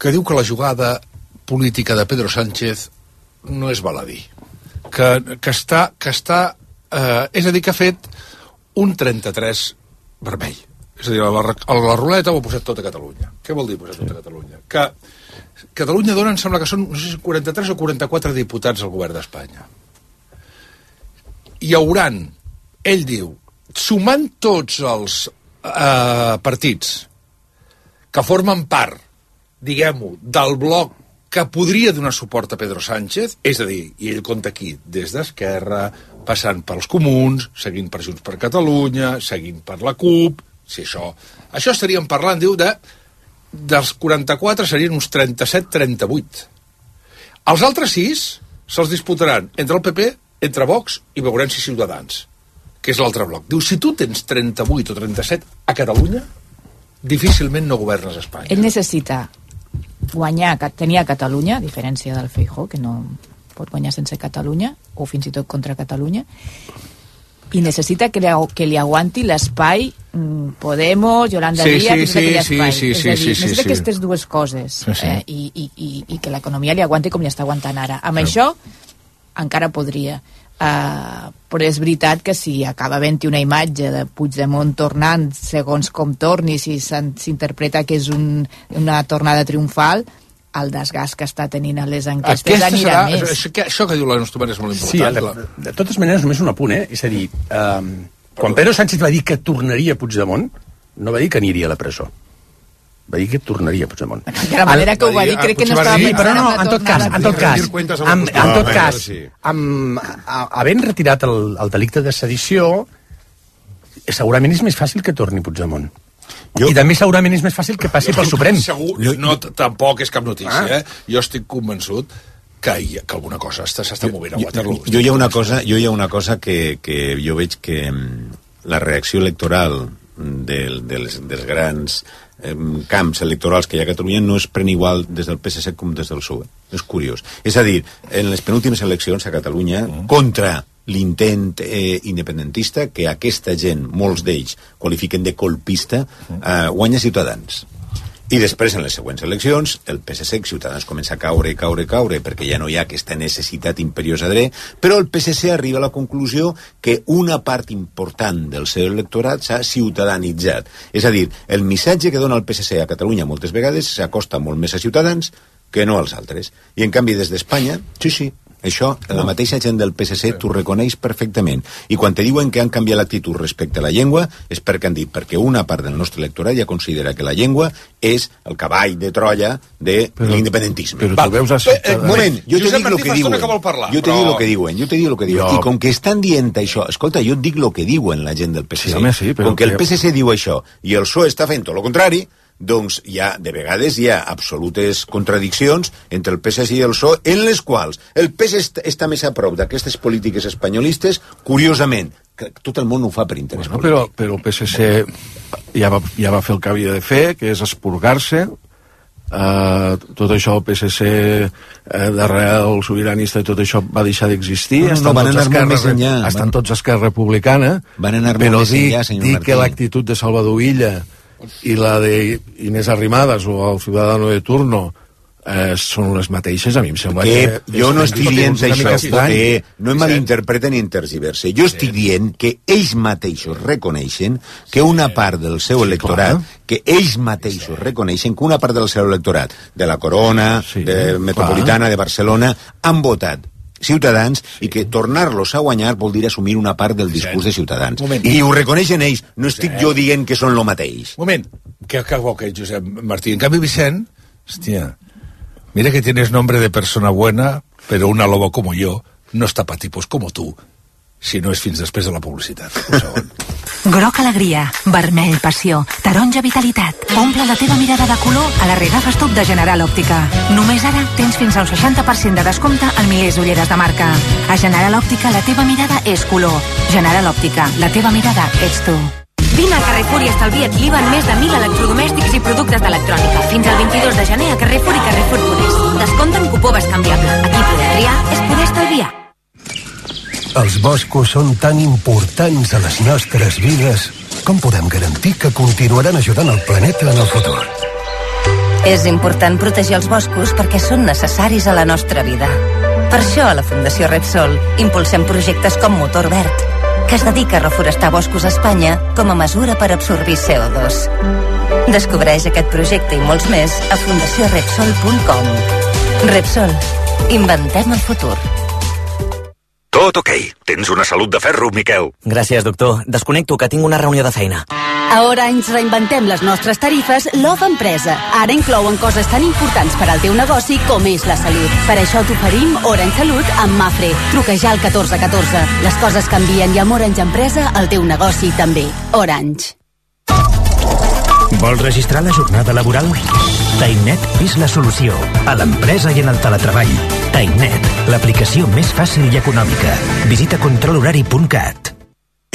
que diu que la jugada política de Pedro Sánchez no és baladí. Que està és a dir, que ha fet un 33 vermell. És a dir, la ruleta ho ha posat tot a Catalunya. Què vol dir posar tot a Catalunya? Que Catalunya dona, em sembla que són, no sé si 43 o 44 diputats al govern d'Espanya. Hi hauran, ell diu, sumant tots els partits que formen part, diguem-ho, del bloc que podria donar suport a Pedro Sánchez, és a dir, i ell compta aquí, des d'Esquerra, passant pels Comuns, seguint per Junts per Catalunya, seguint per la CUP, si això estaríem parlant, diu, dels 44 serien uns 37-38. Els altres 6 se'ls disputaran entre el PP, entre Vox i veurem si Ciutadans, que és l'altre bloc. Diu, si tu tens 38 o 37 a Catalunya, difícilment no governes Espanya. Ell necessita tenir a Catalunya, a diferència del Feijóo, que no pot guanyar sense Catalunya, o fins i tot contra Catalunya, i necessita que li aguanti l'espai Podemos, Yolanda Díaz, necessita aquestes dues coses, i que l'economia li aguanti com li està aguantant ara. Amb això encara podria. Però és veritat que si acaba havent-hi una imatge de Puigdemont tornant segons com torni, si s'interpreta que és una tornada triomfal, el desgast que està tenint a les enquestes anirà més. Això que diu la nostra mare és molt important. Sí, de totes maneres, només un apunt, és a dir, quan Pedro Sánchez va dir que tornaria a Puigdemont, no va dir que aniria a la presó. Va dir que tornaria a Puigdemont. De la manera que ho va dir, crec que no estava pensant en la tornada. Havent retirat el delicte de sedició, segurament és més fàcil que torni Puigdemont. I també segurament és més fàcil que passi pel Suprem. Tampoc és cap notícia, Jo estic convençut que alguna cosa s'està movent a Waterloo. Jo hi ha una cosa que jo veig que la reacció electoral dels grans camps electorals que hi ha a Catalunya no es pren igual des del PSC com des del PSOE. És curiós. És a dir, en les penúltimes eleccions a Catalunya, contra l'intent independentista, que aquesta gent, molts d'ells, qualifiquen de colpista, guanya Ciutadans. I després, en les següents eleccions, el PSC, Ciutadans, comença a caure, perquè ja no hi ha aquesta necessitat imperiosa de però el PSC arriba a la conclusió que una part important del seu electorat s'ha ciutadanitzat. És a dir, el missatge que dona el PSC a Catalunya moltes vegades s'acosta molt més a Ciutadans que no als altres. I, en canvi, des d'Espanya, sí, això, la mateixa gent del PSC t'ho reconeix perfectament. I quan te diuen que han canviat l'actitud respecte a la llengua, és perquè han dit, perquè una part del nostre electorat ja considera que la llengua és el cavall de Troia de l'independentisme. Però tu veus un moment, jo te dic el que diuen. Jo te dic el que diuen. I com que estan dient això, escolta, jo et dic el que diuen la gent del PSC. Com que el PSC diu això i el PSOE està fent tot el contrari, doncs de vegades hi ha absolutes contradiccions entre el PSC i el PSOE, en les quals el PSC està més a prop d'aquestes polítiques espanyolistes, curiosament, que tot el món ho fa per interès polític. Però el PSC ja va fer el que havia de fer, que és expurgar-se. Tot això, el PSC d'arrel sobiranista i tot això va deixar d'existir. Estan tots a Esquerra Republicana, però dir que l'actitud de Salvador Illa i la de Inés Arrimadas o el Ciudadano de turno són les mateixes, a mi em sembla que... Jo no estic dient això, que no em malinterpreten ni intergiverse. Jo estic dient que ells mateixos reconeixen que una part del seu electorat, de la Corona, de Metropolitana, de Barcelona, han votat Ciutadans, i que tornar-los a guanyar vol dir assumir una part del discurs de Ciutadans. I ho reconeixen ells, no estic jo dient que són lo mateix. Moment, que Josep Martí. En canvi, Vicent, hòstia, mira que tienes nombre de persona buena, pero una loba como yo no está pa tipos como tú, si no és fins després de la publicitat. Un segon. Groc alegria, vermell passió, taronja vitalitat. Omple la teva mirada de color a la Regafes Top de General Òptica. Només ara tens fins al 60% de descompte en milers d'ulleres de marca. A General Òptica la teva mirada és color. General Òptica, la teva mirada ets tu. Vine a Carrefour i estalvia't l'IVA en més de 1.000 electrodomèstics i productes d'electrònica. Fins al 22 de gener a Carrefour i Carrefour Podes. Descompte en cupó bescanviable. Aquí poder triar és poder estalviar. Els boscos són tan importants a les nostres vides. Com podem garantir que continuaran ajudant el planeta en el futur? És important protegir els boscos perquè són necessaris a la nostra vida. Per això, a la Fundació Repsol, impulsem projectes com Motor Verd, que es dedica a reforestar boscos a Espanya com a mesura per absorbir CO2. Descobreix aquest projecte i molts més a fundaciorepsol.com. Repsol. Inventem el futur. Tot ok. Tens una salut de ferro, Miquel. Gràcies, doctor. Desconnecto, que tinc una reunió de feina. A Orange reinventem les nostres tarifes Love Empresa. Ara inclouen coses tan importants per al teu negoci com és la salut. Per això t'oferim Orange Salut amb Mafre. Truca ja al 1414. Les coses canvien i amb Orange Empresa el teu negoci també. Orange. Vols registrar la jornada laboral? Tainet és la solució. A l'empresa i en el teletreball. Tainet, l'aplicació més fàcil i econòmica. Visita controlhorari.cat.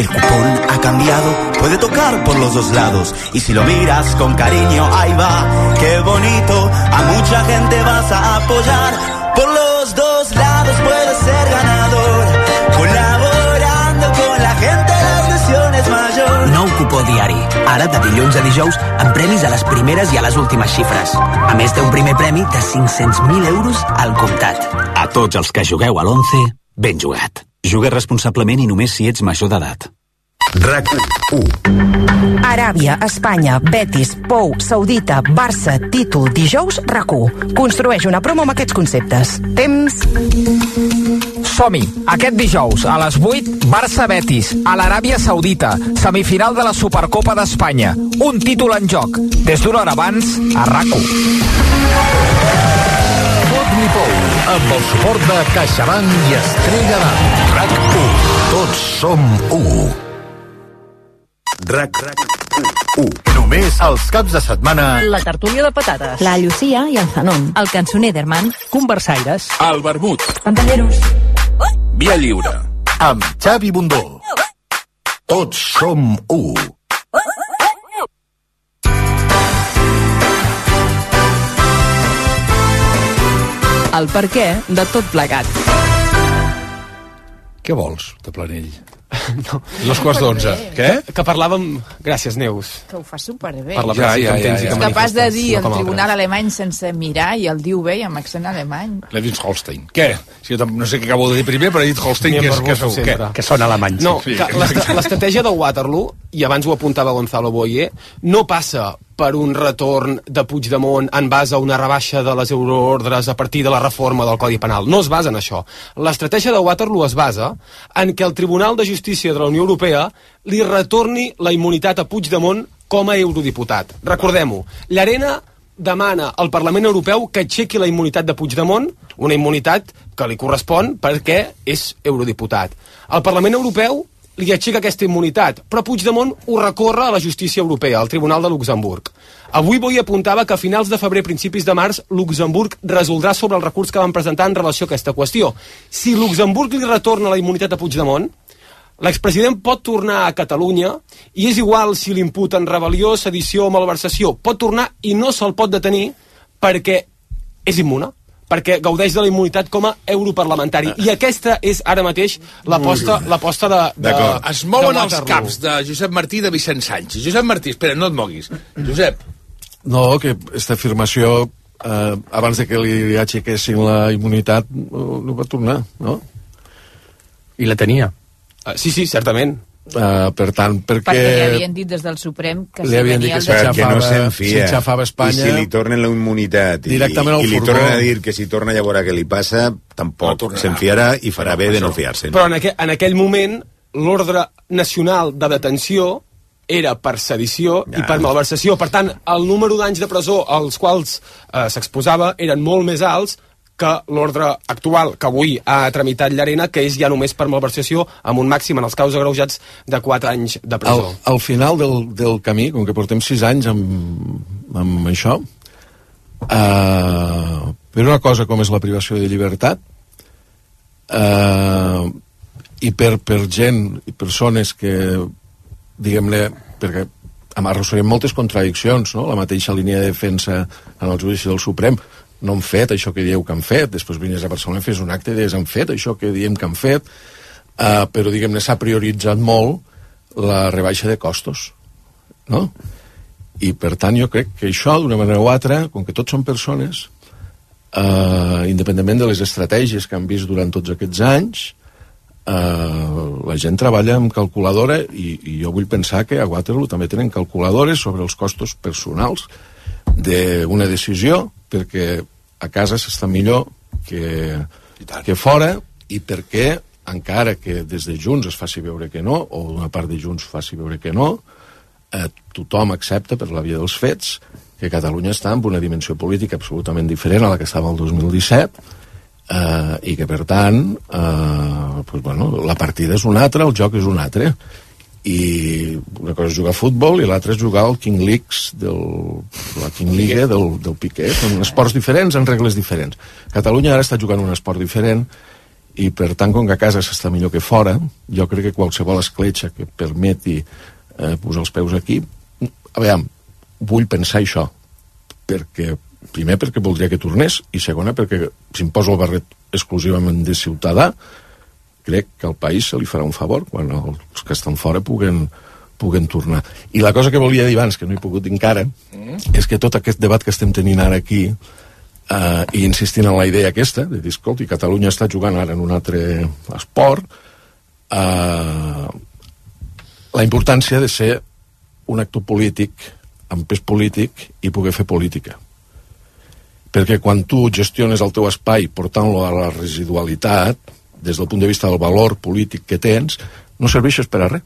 El cupón ha cambiado, puede tocar por los dos lados. Y si lo miras con cariño, ahí va, qué bonito. A mucha gente vas a apoyar. Por los dos lados puedes ser ganador. Col·laborando con la gente, la ilusión es mayor. Nou cupó diari. Ara, de dilluns a dijous, amb premis a les primeres i a les últimes xifres. A més, té un primer premi de 500.000 euros al comptat. A tots els que jugueu a l'11, ben jugat. Juga responsablement i només si ets major d'edat. RAC1. Aràbia, Espanya, Betis, Pou, Saudita, Barça, títol, dijous, RAC1. Construeix una promo amb aquests conceptes. Temps... Som-hi! Aquest dijous, a les 8, Barça-Betis, a l'Aràbia Saudita, semifinal de la Supercopa d'Espanya. Un títol en joc. Des d'una hora abans, a RAC1. Fot-li Pou, amb el suport de CaixaBank i Estrella d'Am. RAC1. Tots som 1. RAC1. Només els caps de setmana. La tertúlia de patates. La Llucia i el Zanon. El cançoner d'Herman. Conversaires. El vermut. Pantalleros. Via lliure. Amb Xavi Bundó. Tots som 1. El perquè de tot plegat. Què vols, de Planell? No. 2:15. Què? Que parlàvem... Gràcies, Neus. Que ho fa superbé. Ja. És capaç de dir el tribunal alemany sense mirar i el diu bé i amb accent alemany. Levins-Holstein. Què? Si no sé què acabo de dir primer, però he dit Holstein, que són alemanys. No, l'estratègia de Waterloo, i abans ho apuntava Gonzalo Boye, no passa per un retorn de Puigdemont en base a una rebaixa de les euroordres a partir de la reforma del Codi Penal. No es basa en això. L'estratègia de Waterloo es basa en que el Tribunal de Justícia de la Unió Europea li retorni la immunitat a Puigdemont com a eurodiputat. Recordem-ho, Llarena demana al Parlament Europeu que aixequi la immunitat de Puigdemont, una immunitat que li correspon perquè és eurodiputat. El Parlament Europeu li aixeca aquesta immunitat, però Puigdemont ho recorre a la justícia europea, al Tribunal de Luxemburg. Avui Boi apuntava que a finals de febrer, principis de març, Luxemburg resoldrà sobre el recurs que van presentar en relació a aquesta qüestió. Si Luxemburg li retorna la immunitat a Puigdemont, l'expresident pot tornar a Catalunya i és igual si l'imputen rebel·lió, sedició o malversació. Pot tornar i no se'l pot detenir perquè és immune, perquè gaudeix de la immunitat com a europarlamentari. I aquesta és ara mateix l'aposta de es mouen els caps de Josep Martí i de Vicent Sánchez. Josep Martí, espera, no et moguis. Josep. No, que aquesta afirmació, abans de que li aixequessin la immunitat, no va tornar, no? I la tenia. Sí, certament. Per tant, perquè li havien dit des del Suprem que li havien dit que s'enxafava Espanya, i si li tornen la immunitat i li tornen a dir que si torna a veure què li passa, tampoc se'n fiarà i farà bé de no fiar-se. Però en aquell moment l'ordre nacional de detenció era per sedició i per malversació. Per tant, el número d'anys de presó als quals s'exposava eren molt més alts que l'ordre actual que avui ha tramitat Llarena, que és ja només per malversació amb un màxim en els casos agreujats de 4 anys de presó. Al final del camí, com que portem 6 anys amb això, per una cosa com és la privació de llibertat, i per gent i persones que, diguem-ne, perquè arrosseguem moltes contradiccions, no? La mateixa línia de defensa en el judici del Suprem, no han fet això que dieu que han fet, després vines a Barcelona i fes un acte de han fet això que diem que han fet, però diguem-ne s'ha prioritzat molt la rebaixa de costos, no? I per tant jo crec que això d'una manera o altra, com que tots són persones, independentment de les estratègies que han vist durant tots aquests anys, la gent treballa amb calculadora i jo vull pensar que a Waterloo també tenen calculadores sobre els costos personals d'una decisió, perquè a casa s'està millor que fora, i perquè encara que des de Junts es faci veure que no, o una part de Junts faci veure que no, tothom accepta per la via dels fets que Catalunya està en una dimensió política absolutament diferent a la que estava el 2017, i que per tant la partida és una altra, el joc és un altre, i una cosa és jugar a futbol i l'altra és jugar al King League del Piqué. Són esports diferents, en regles diferents. Catalunya ara està jugant un esport diferent i per tant, com que a casa s'està millor que fora, jo crec que qualsevol escletxa que permeti posar els peus aquí, a veure, vull pensar això, primer perquè voldria que tornés, i segona perquè si em poso el barret exclusivament de ciutadà, crec que al país se li farà un favor quan els que estan fora puguen tornar. I la cosa que volia dir abans, que no he pogut dir encara, és que tot aquest debat que estem tenint ara aquí, i insistint en la idea aquesta, de dir, escolti, Catalunya està jugant ara en un altre esport, la importància de ser un actor polític, amb pes polític, i poder fer política. Perquè quan tu gestiones el teu espai portant-lo a la residualitat, des del punt de vista del valor polític que tens, no serveixes per a res.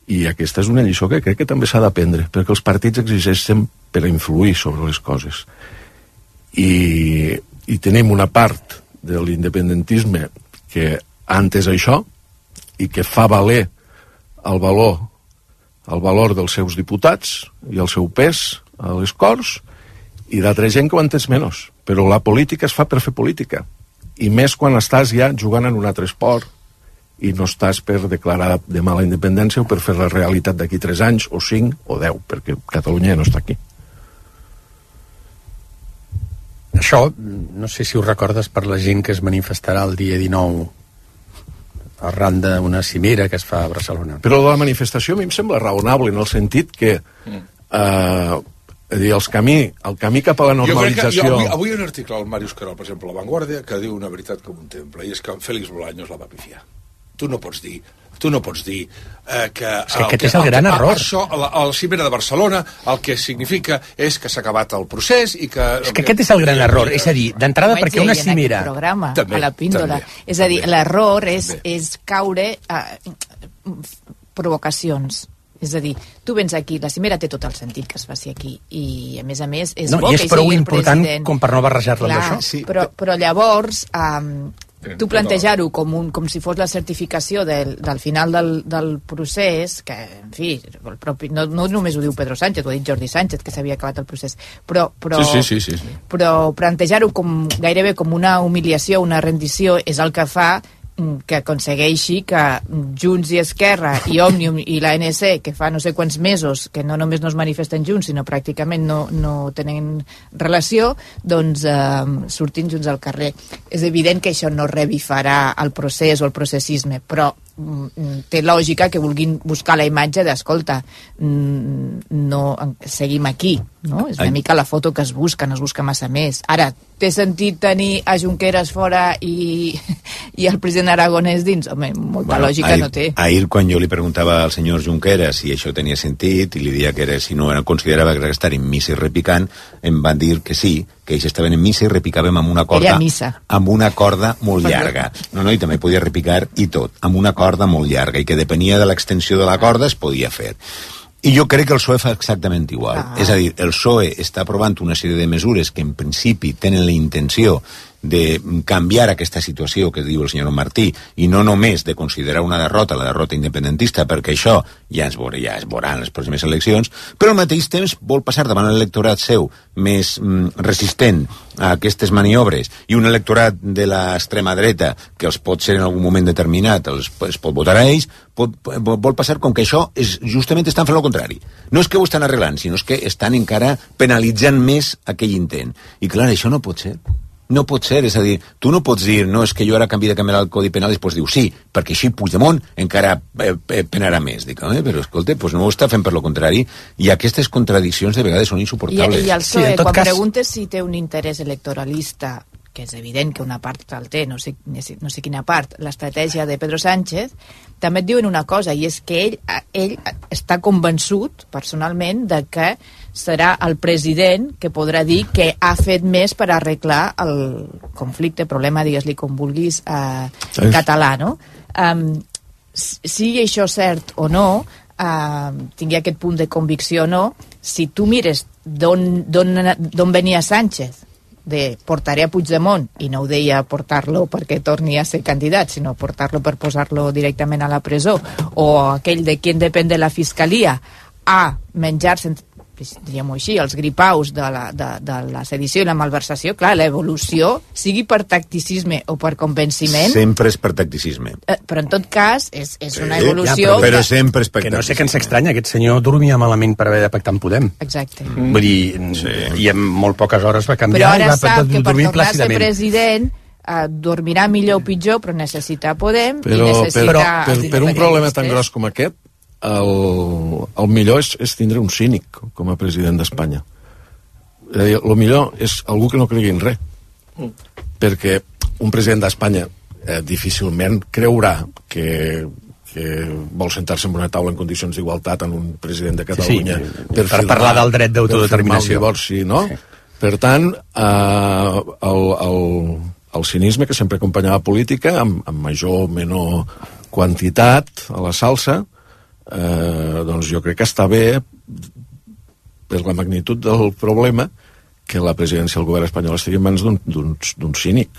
I aquesta és una lliçó que crec que també s'ha d'aprendre, perquè els partits exigeixen per a influir sobre les coses. I tenim una part de l'independentisme que ha entès això i que fa valer el valor dels seus diputats i el seu pes a les Corts, i d'altra gent que ho ha entès menys. Però la política es fa per fer política, i més quan estàs ja jugant en un altre esport i no estàs per declarar demà la independència o per fer la realitat d'aquí 3 anys o 5 o 10, perquè Catalunya ja no està aquí. Això, no sé si ho recordes per la gent que es manifestarà el dia 19 arran d'una cimera que es fa a Barcelona. Però la manifestació a mi em sembla raonable en el sentit que el camí cap a la normalització... Avui hi ha un article al Màrius Querol, per exemple, a La Vanguardia, que diu una veritat com un temple, i és que Félix Bolaños la va pifiar. Tu no pots dir que... És que aquest és el gran error. Això, a la cimera de Barcelona, el que significa és que s'ha acabat el procés i que... És que aquest és el gran error. És a dir, d'entrada, perquè una cimera... Programa, a la píndola. És a dir, l'error és caure a provocacions. És a dir, tu vens aquí, la cimera té tot el sentit que es faci aquí, i a més és bo que hi sigui el president. I és prou important com per no barrejar-la amb això. Sí, però llavors... tu plantejar-ho com si fos la certificació del final del procés, que, en fi, no només ho diu Pedro Sánchez, ho ha dit Jordi Sánchez, que s'havia acabat el procés, però plantejar-ho gairebé com una humiliació, una rendició, és el que fa que aconsegueixi que Junts i Esquerra i Òmnium i l'ANC, que fa no sé quants mesos que no només no es manifesten junts, sinó pràcticament no tenen relació, doncs surtin junts al carrer. És evident que això no revifarà el procés o el processisme, però té lògica que vulguin buscar la imatge d'escolta, no seguim aquí, no? És una mica la foto que es busca, no es busca massa més. Ara, té sentit tenir a Junqueras fora i el president Aragonès dins? Home, molta lògica no té. Ahir, quan jo li preguntava al senyor Junqueras si això tenia sentit, i li dia que si no considerava que estar en missa i repicant, em van dir que sí, que ells estaven en missa i repicàvem amb una corda molt llarga. No, i també podia repicar i tot, amb una corda molt llarga, i que depenia de l'extensió de la corda es podia fer. I jo crec que el PSOE fa exactament igual. És a dir, el PSOE està aprovant una sèrie de mesures que en principi tenen la intenció de canviar aquesta situació que diu el senyor Martí, i no només de considerar una derrota, la derrota independentista, perquè això ja es veurà en les pròximes eleccions, però al mateix temps vol passar davant l'electorat seu més resistent a aquestes maniobres, i un electorat de l'extrema dreta que els pot ser en algun moment determinat, es pot votar a ells, vol passar com que això justament estan fent el contrari. No és que ho estan arreglant, sinó que estan encara penalitzant més aquell intent. I clar, això no pot ser. No pot ser, és a dir, tu no pots dir no, és que jo ara canvi de canviar el Codi Penal, i després diu sí, perquè així Puigdemont encara penarà més. Dic, però escolta, no ho està fent per lo contrari, i aquestes contradiccions de vegades són insuportables. I el PSOE, quan preguntes si té un interès electoralista, que és evident que una part el té, no sé quina part, l'estratègia de Pedro Sánchez, també et diuen una cosa, i és que ell està convençut, personalment, de que serà el president que podrà dir que ha fet més per arreglar el conflicte, problema, digues-li com vulguis, català, no? Sigui això cert o no, tingui aquest punt de convicció o no, si tu mires d'on venia Sánchez, de portaré a Puigdemont, i no ho deia portar-lo perquè torni a ser candidat, sinó portar-lo per posar-lo directament a la presó, o aquell de qui depèn de la fiscalia, a menjar-se diríem-ho així, els gripaus de la sedició i la malversació, clar, l'evolució, sigui per tacticisme o per convenciment... Sempre és per tacticisme. Però en tot cas, és una evolució... Però sempre és per que no sé què ens estranya, aquest senyor dormia malament per haver de pactar amb Podem. Exacte. Vull dir, i en molt poques hores va canviar. Però ara i va sap que per dormir tornar a ser plàcidament. president dormirà millor o pitjor, però necessita Podem i Però necessita... per un problema tan gros com aquest, el millor és tindre un cínic com a president d'Espanya. El millor és algú que no cregui en res. Perquè un president d'Espanya difícilment creurà que vol sentar-se en una taula en condicions d'igualtat en un president de Catalunya per parlar del dret d'autodeterminació. Divorci, no? Sí. Per tant, el cinisme que sempre acompanyava política, amb major o menor quantitat a la salsa, doncs jo crec que està bé per la magnitud del problema que la presidència del govern espanyol estigui en mans d'un cínic,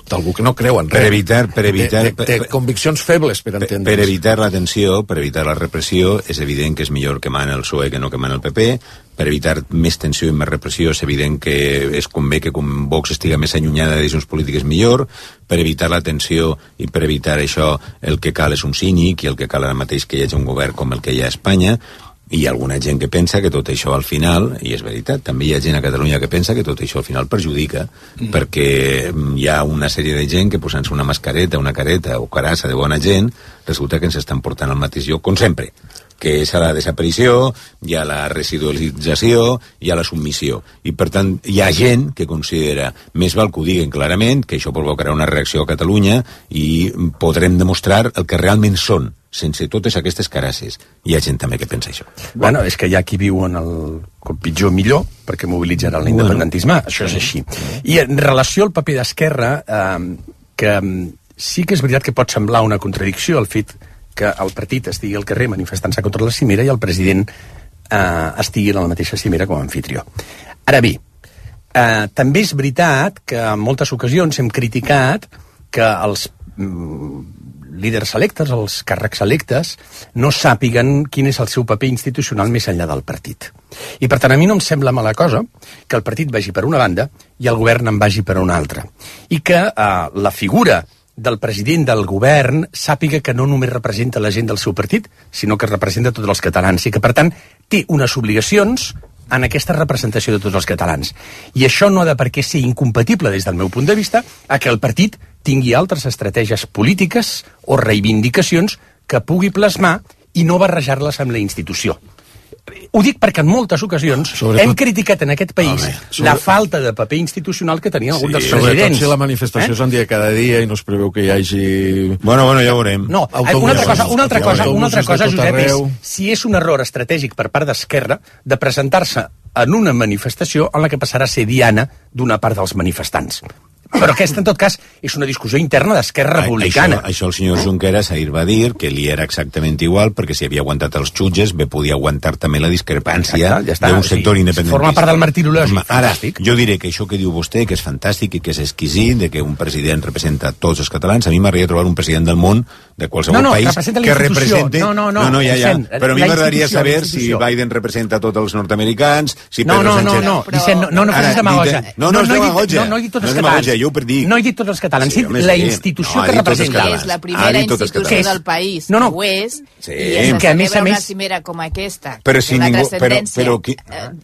d'algú que no creu en res. Té conviccions febles per entendre. Per evitar la tensió, per evitar la repressió, és evident que és millor que mana el PSOE que no que mana el PP. Per evitar més tensió i més repressió és evident que es convé que com Vox estiga més allunyada de decisions polítiques millor. Per evitar la tensió i per evitar això el que cal és un cínic i el que cal ara mateix que hi hagi un govern com el que hi ha a Espanya. I hi ha alguna gent que pensa que tot això al final, i és veritat, també hi ha gent a Catalunya que pensa que tot això al final perjudica, perquè hi ha una sèrie de gent que posant-se una mascareta, una careta o carassa de bona gent, resulta que ens estan portant al mateix lloc, com sempre, que és a la desaparició, i a la residualització i a la submissió. I per tant hi ha gent que considera més val que ho diguen clarament, que això provocarà una reacció a Catalunya i podrem demostrar el que realment són, sense totes aquestes carasses. Hi ha gent també que pensa això. Bueno, és que hi ha qui viu en el pitjor millor, perquè mobilitzarà l'independentisme, això és així. I en relació al paper d'Esquerra, que sí que és veritat que pot semblar una contradicció el fet que el partit estigui al carrer manifestant-se contra la cimera i el president estigui en la mateixa cimera com a anfitrió. Ara bé, també és veritat que en moltes ocasions hem criticat que els líders electes, els càrrecs electes, no sàpiguen quin és el seu paper institucional més enllà del partit. I per tant a mi no em sembla mala cosa que el partit vagi per una banda i el govern en vagi per una altra. I que la figura del president del govern sàpiga que no només representa la gent del seu partit, sinó que representa tots els catalans i que per tant té unes obligacions en aquesta representació de tots els catalans. I això no ha de per què ser incompatible des del meu punt de vista a que el partit tingui altres estratègies polítiques o reivindicacions que pugui plasmar i no barrejar-les amb la institució. Ho dic perquè en moltes ocasions hem criticat en aquest país la falta de paper institucional que tenien alguns dels presidents. Sobretot si la manifestació és un dia cada dia i no es preveu que hi hagi... Bueno, ja ho veurem. No, una altra cosa, Josep, és si és un error estratègic per part d'Esquerra de presentar-se en una manifestació en la que passarà a ser diana d'una part dels manifestants. Però aquesta, en tot cas, és una discussió interna d'Esquerra Republicana. Això el senyor Junqueras ahir va dir que li era exactament igual, perquè si havia aguantat els jutges, bé podia aguantar també la discrepància d'un sector independentista. Forma part del martirologi. Ara, jo diré que això que diu vostè, que és fantàstic i que és exquisit, de que un president representa tots els catalans, a mi m'agradaria trobar un president del món, de qualsevol país, que represente... No, ja. Però a mi m'agradaria saber si Biden representa tots els nord-americans, si Pedro Sánchez... No facis demagògia. No és demagògia. No he dit tots els catalans. No he dit tots els catalans, he dit la institució que representa. És la primera institució del país, ho és, i es celebra una cimera com aquesta, la transcendència,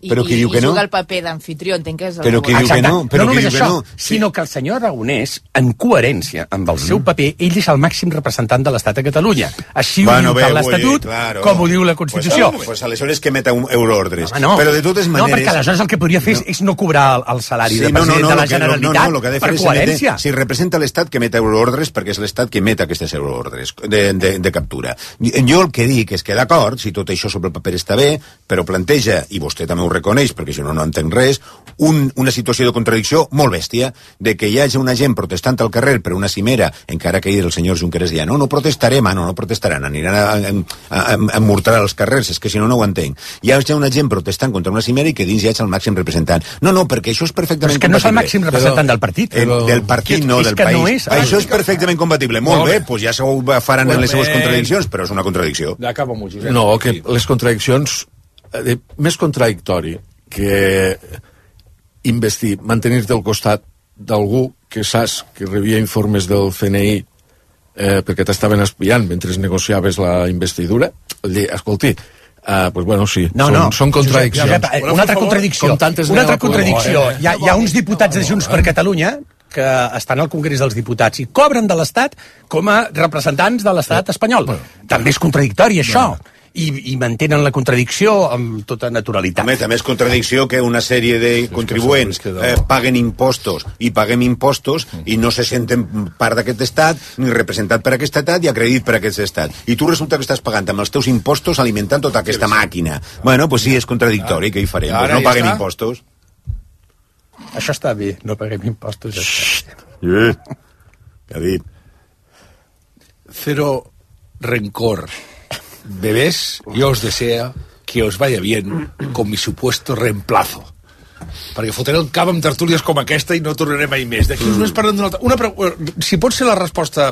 i juga el paper d'anfitrió, entenc que és el... Però qui diu que no? No només això, sinó que el senyor Aragonès, en coherència amb el seu paper, ell és el màxim representant de l'Estat a Catalunya. Així ho diu tant l'Estatut com ho diu la Constitució. Pues aleshores que meta euroordres. Però de totes maneres... No, perquè aleshores el que podria fer és no cobrar el salari de president de la Generalitat per coherència. Si representa l'Estat que meta euroordres, perquè és l'Estat que meta aquestes euroordres de captura. Jo el que dic és que d'acord, si tot això sobre el paper està bé, però planteja, i vostè també ho reconeix, perquè si no entenc res, una situació de contradicció molt bèstia, de que hi hagi una gent protestant al carrer per una cimera, encara que ahir el senyor Junqueras deia, no protestarem, no protestaran, aniran a emmortar als carrers, és que si no ho entenc. Hi hagi una gent protestant contra una cimera i que dins hi hagi el màxim representant. No, perquè això és perfectament compatible. Però és que no és el màxim representant del partit. Del partit, no del país. Això és perfectament compatible. Molt bé, doncs ja s'ho faran en les seves contradiccions, però és una contradicció. No, que les contradiccions més contradictori que mantenir-te al costat d'algú que saps que rebia informes del CNI perquè t'estaven espiant mentre negociaves la investidura, dir, escolti, pues bueno, sí, són contradiccions. Una altra contradicció. Hi ha uns diputats de Junts per Catalunya que estan al Congrés dels Diputats i cobren de l'Estat com a representants de l'Estat espanyol. També és contradictori, això. I mantenen la contradicció amb tota naturalitat. També és contradicció que una sèrie de contribuents paguen impostos i paguem impostos i no se senten part d'aquest estat, ni representat per aquest estat i acreditat per aquest estat. I tu resulta que estàs pagant amb els teus impostos alimentant tota aquesta màquina. Bueno, pues sí, és contradictori, què hi farem? Pues no paguem impostos. Això està bé, no paguem impostos. Què ha dit? Cero rencor. Bebés, yo os deseo que os vaya bien con mi supuesto reemplazo. Perquè fotré el cap amb tertúlies com aquesta i no tornaré mai més. D'aquí us només parlem d'una altra... Si pot ser la resposta,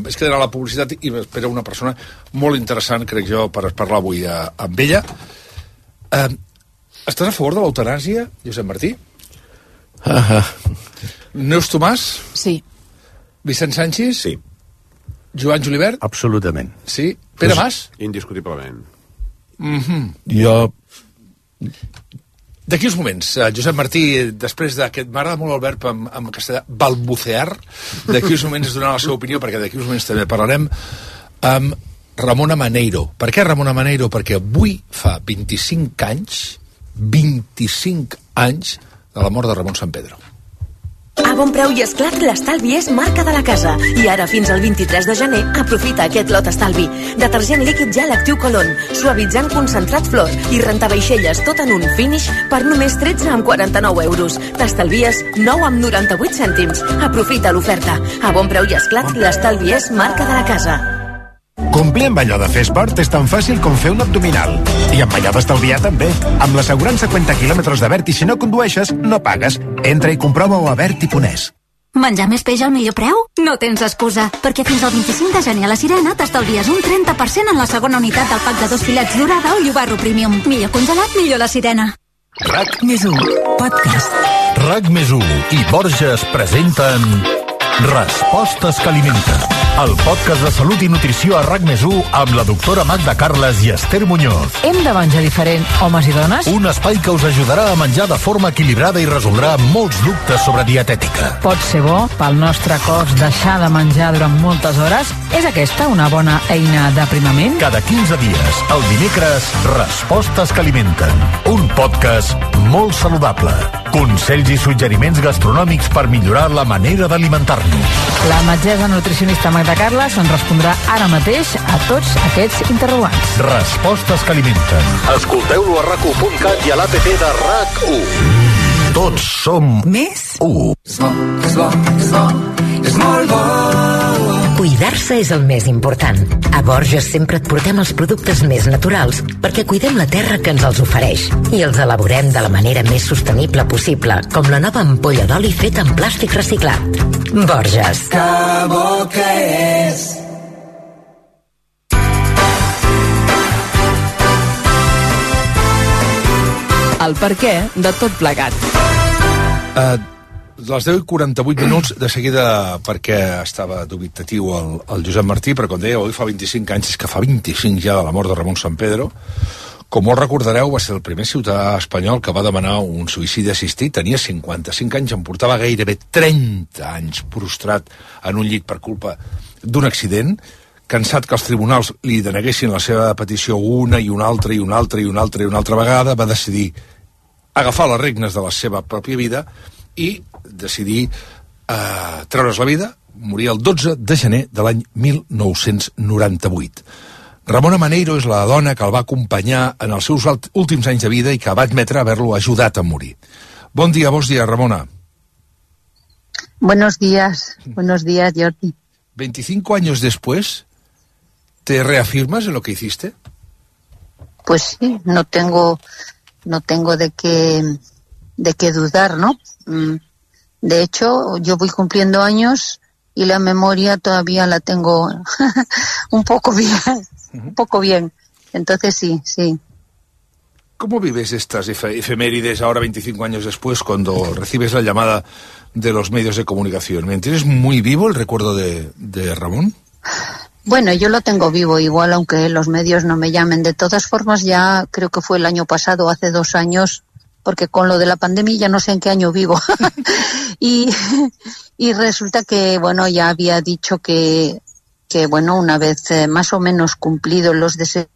és que era la publicitat i espera una persona molt interessant, crec jo, per parlar avui amb ella. Estàs a favor de l'eutanàsia, Josep Martí? Neus Tomàs? Sí. Vicent Sánchez? Sí. Joan Julibert? Absolutament. Sí. Pere Mas? Indiscutiblement. Jo... D'aquí uns moments, Josep Martí, després d'aquest... M'agrada molt el verb en castellà, balbucear. D'aquí uns moments es donarà la seva opinió, perquè d'aquí uns moments també parlarem amb Ramona Maneiro. Per què Ramona Maneiro? Perquè avui fa 25 anys de la mort de Ramon Sampedro. A Bon Preu i Esclat, l'estalvi és marca de la casa. I ara, fins al 23 de gener, aprofita aquest lot estalvi. Detergent líquid gel actiu Colon, suavitzant concentrat flor i rentavaixelles tot en un finish per només 13,49 euros. T'estalvies 9,98 cèntims. Aprofita l'oferta. A Bon Preu i Esclat, l'estalvi és marca de la casa. Complir amb allò de fer esport és tan fàcil com fer un abdominal. I amb allò d'estalviar també. Amb l'assegurança 50 quilòmetres de Berti, si no condueixes, no pagues. Entra i comprova-ho a Berti.es. Menjar més peix al millor preu? No tens excusa, perquè fins al 25 de gener a la Sirena t'estalvies un 30% en la segona unitat del pack de 2 filets dorada o llobarro premium. Millor congelat, millor la Sirena. RAC+1 Podcast. RAC+1 i Borges presenten Respostes que alimenten, el podcast de salut i nutrició a RAC+1 amb la doctora Magda Carles i Esther Muñoz. Hem de menjar diferent, homes i dones? Un espai que us ajudarà a menjar de forma equilibrada i resoldrà molts dubtes sobre dietètica. Pot ser bo pel nostre cos deixar de menjar durant moltes hores? És aquesta una bona eina d'aprimament? Cada 15 dies, el dimecres, Respostes que alimenten. Un podcast molt saludable. Consells i suggeriments gastronòmics per millorar la manera d'alimentar-nos. La metgessa nutricionista Magda Carles ens respondrà ara mateix a tots aquests interrogants. Respostes que alimenten. Escolteu-lo a RAC1.cat i a l'APP de RAC1. Tots som més 1. És molt bo. Cuidar-se és el més important. A Borges sempre et portem els productes més naturals perquè cuidem la terra que ens els ofereix i els elaborem de la manera més sostenible possible, com la nova ampolla d'oli feta en plàstic reciclat. Borges. Que bo que és. El perquè de tot plegat. Les 10:48 minuts, de seguida, perquè estava dubitatiu el Josep Martí, però com deia, avui fa 25 anys, és que fa 25 ja de la mort de Ramon Sampedro. Com molt recordareu, va ser el primer ciutadà espanyol que va demanar un suïcidi assistit. Tenia 55 anys, em portava gairebé 30 anys prostrat en un llit per culpa d'un accident. Cansat que els tribunals li deneguessin la seva petició una i una altra i una altra i una altra i una altra vegada, va decidir agafar les regnes de la seva pròpia vida i decidir treure's la vida, morir el 12 de gener de l'any 1998. Ramona Maneiro és la dona que el va acompanyar en els seus últims anys de vida i que va admetre haver-lo ajudat a morir. Bon dia, Ramona. Buenos días, Jordi. 25 años después, ¿te reafirmas en lo que hiciste? Pues sí, no tengo de qué dudar, ¿no? De hecho, yo voy cumpliendo años y la memoria todavía la tengo un poco bien. Entonces sí. ¿Cómo vives estas efemérides ahora 25 años después cuando recibes la llamada de los medios de comunicación? ¿Me entiendes muy vivo el recuerdo de Ramón? Bueno, yo lo tengo vivo igual, aunque los medios no me llamen. De todas formas, ya creo que fue el año pasado, hace 2 años, porque con lo de la pandemia ya no sé en qué año vivo. y resulta que, bueno, ya había dicho que bueno, una vez más o menos cumplidos los deseos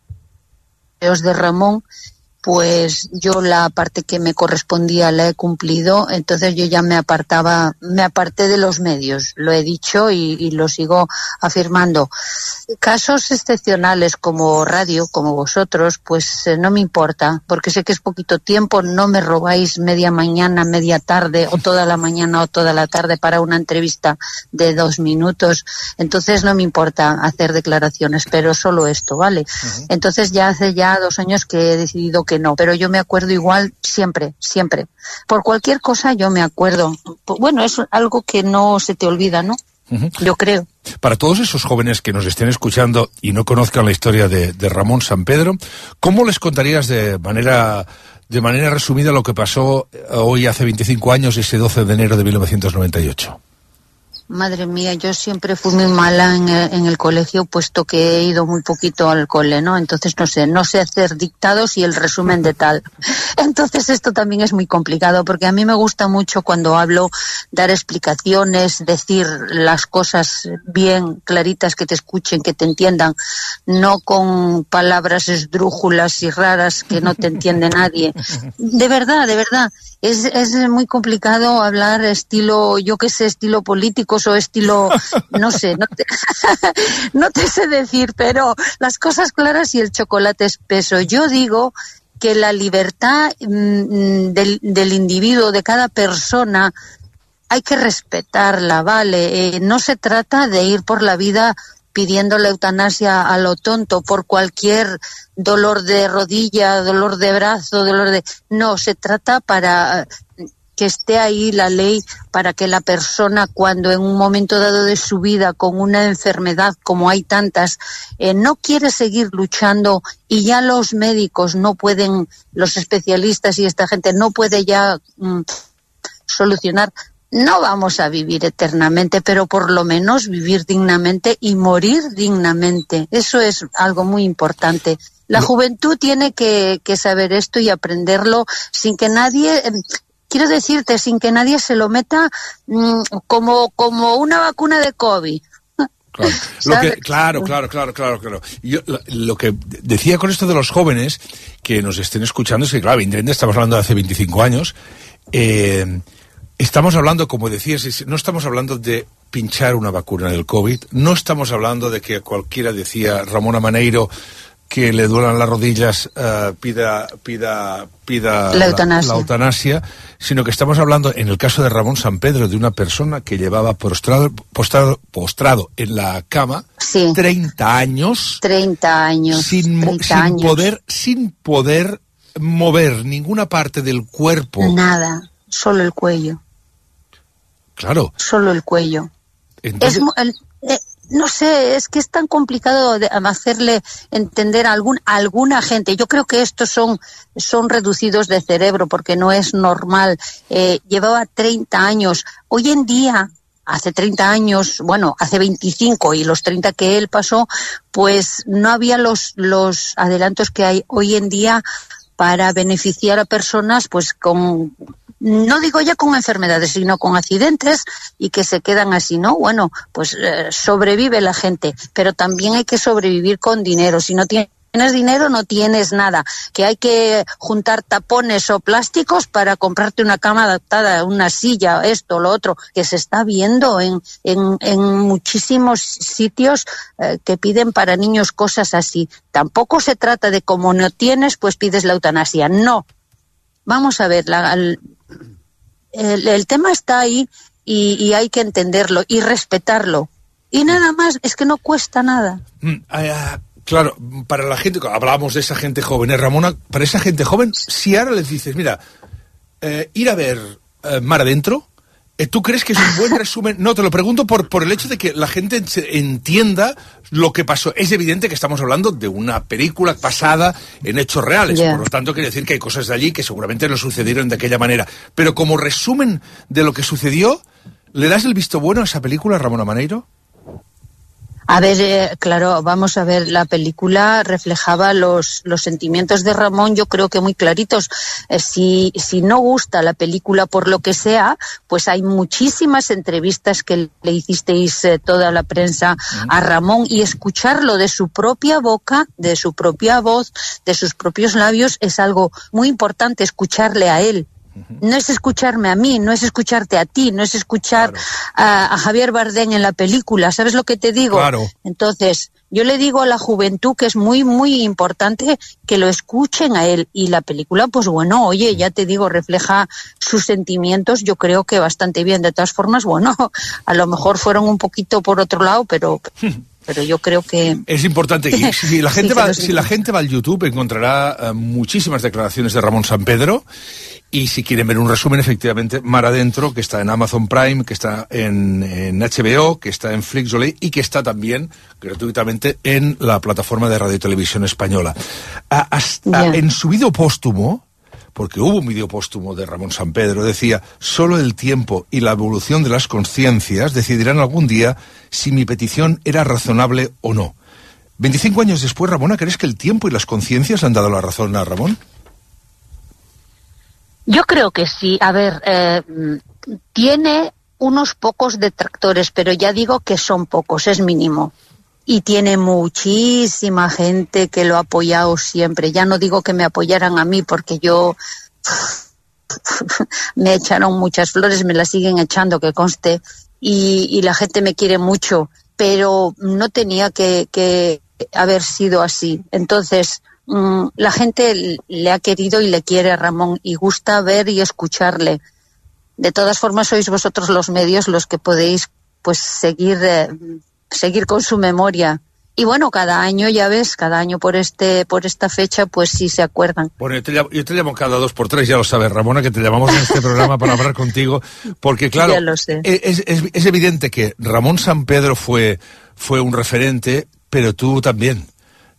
de Ramón, pues yo la parte que me correspondía la he cumplido, entonces yo ya me aparté de los medios, lo he dicho y lo sigo afirmando. Casos excepcionales como radio, como vosotros, pues no me importa, porque sé que es poquito tiempo, no me robáis media mañana, media tarde, o toda la mañana o toda la tarde para una entrevista de 2 minutos, entonces no me importa hacer declaraciones, pero solo esto, ¿vale? Entonces ya hace 2 años que he decidido que no, pero yo me acuerdo igual siempre. Por cualquier cosa yo me acuerdo. Bueno, es algo que no se te olvida, ¿no? Yo creo. Para todos esos jóvenes que nos estén escuchando y no conozcan la historia de Ramón Sampedro, ¿cómo les contarías de manera resumida lo que pasó hoy hace 25 años, ese 12 de enero de 1998? Madre mía, yo siempre fui muy mala en el colegio, puesto que he ido muy poquito al cole, ¿no? Entonces no sé hacer dictados y el resumen de tal. Entonces esto también es muy complicado, porque a mí me gusta mucho cuando hablo dar explicaciones, decir las cosas bien claritas, que te escuchen, que te entiendan, no con palabras esdrújulas y raras que no te entiende nadie. De verdad. Es muy complicado hablar estilo, yo qué sé, estilo políticos o estilo, no sé, no te sé decir, pero las cosas claras y el chocolate espeso. Yo digo que la libertad del individuo, de cada persona, hay que respetarla, ¿vale? No se trata de ir por la vida pidiendo la eutanasia a lo tonto por cualquier dolor de rodilla, dolor de brazo, No, se trata para que esté ahí la ley para que la persona, cuando en un momento dado de su vida, con una enfermedad como hay tantas, no quiere seguir luchando y ya los médicos no pueden, los especialistas y esta gente no puede ya solucionar. No vamos a vivir eternamente, pero por lo menos vivir dignamente y morir dignamente. Eso es algo muy importante. La juventud tiene que saber esto y aprenderlo sin que nadie, quiero decirte, sin que nadie se lo meta como una vacuna de COVID. Claro. Yo lo que decía con esto de los jóvenes que nos estén escuchando es que, claro, evidentemente estamos hablando de hace 25 años. Estamos hablando, como decías, no estamos hablando de pinchar una vacuna del COVID, no estamos hablando de que cualquiera, decía Ramón Amaneiro, que le duelan las rodillas, pida la eutanasia, sino que estamos hablando, en el caso de Ramón Sampedro, de una persona que llevaba postrado en la cama 30 años. 30 años. Sin poder mover ninguna parte del cuerpo. Nada, solo el cuello. Claro. Solo el cuello. Entonces... no sé, es que es tan complicado hacerle entender a alguna gente. Yo creo que estos son reducidos de cerebro, porque no es normal. Llevaba 30 años. Hoy en día, hace 30 años, bueno, hace 25 y los 30 que él pasó, pues no había los adelantos que hay hoy en día para beneficiar a personas pues con... No digo ya con enfermedades, sino con accidentes y que se quedan así, ¿no? Bueno, pues sobrevive la gente, pero también hay que sobrevivir con dinero. Si no tienes dinero, no tienes nada. Que hay que juntar tapones o plásticos para comprarte una cama adaptada, una silla, esto, lo otro, que se está viendo en muchísimos sitios que piden para niños cosas así. Tampoco se trata de como no tienes, pues pides la eutanasia. No. Vamos a ver, el tema está ahí y hay que entenderlo y respetarlo. Y nada más, es que no cuesta nada. Claro, para la gente, hablábamos de esa gente joven, Ramona, para esa gente joven, si ahora les dices, mira, ir a ver Mar Adentro ¿Tú crees que es un buen resumen? No, te lo pregunto por el hecho de que la gente entienda lo que pasó. Es evidente que estamos hablando de una película basada en hechos reales. Por lo tanto, quiere decir que hay cosas de allí que seguramente no sucedieron de aquella manera. Pero como resumen de lo que sucedió, ¿le das el visto bueno a esa película, Ramona Maneiro? A ver, claro, vamos a ver, la película reflejaba los sentimientos de Ramón, yo creo que muy claritos. Si no gusta la película por lo que sea, pues hay muchísimas entrevistas que le hicisteis toda la prensa a Ramón, y escucharlo de su propia boca, de su propia voz, de sus propios labios, es algo muy importante, escucharle a él. No es escucharme a mí, no es escucharte a ti, no es escuchar a Javier Bardem en la película, ¿sabes lo que te digo? Claro. Entonces, yo le digo a la juventud que es muy, muy importante que lo escuchen a él, y la película, pues bueno, oye, ya te digo, refleja sus sentimientos, yo creo que bastante bien. De todas formas, bueno, a lo mejor fueron un poquito por otro lado, pero yo creo que... Es importante que si la gente va al YouTube encontrará muchísimas declaraciones de Ramón Sampedro, y si quieren ver un resumen, efectivamente, Mar Adentro, que está en Amazon Prime, que está en HBO, que está en Flixolay y que está también gratuitamente en la plataforma de Radio y Televisión Española. En su vídeo póstumo, porque hubo un vídeo póstumo de Ramón Sampedro, decía: solo el tiempo y la evolución de las conciencias decidirán algún día si mi petición era razonable o no. 25 años después, Ramona, ¿crees que el tiempo y las conciencias han dado la razón a Ramón? Yo creo que sí. A ver, tiene unos pocos detractores, pero ya digo que son pocos, es mínimo. Y tiene muchísima gente que lo ha apoyado siempre. Ya no digo que me apoyaran a mí, porque yo... me echaron muchas flores, me las siguen echando, que conste, y la gente me quiere mucho, pero no tenía que haber sido así. Entonces... la gente le ha querido y le quiere a Ramón, y gusta ver y escucharle. De todas formas, sois vosotros los medios los que podéis pues seguir con su memoria. Y bueno, cada año, ya ves, cada año por esta fecha, pues sí se acuerdan. Bueno, yo te llamo cada 2 por 3, ya lo sabes, Ramona, que te llamamos en este programa para hablar contigo, porque claro, ya lo sé. Es evidente que Ramón Sampedro fue un referente, pero tú también.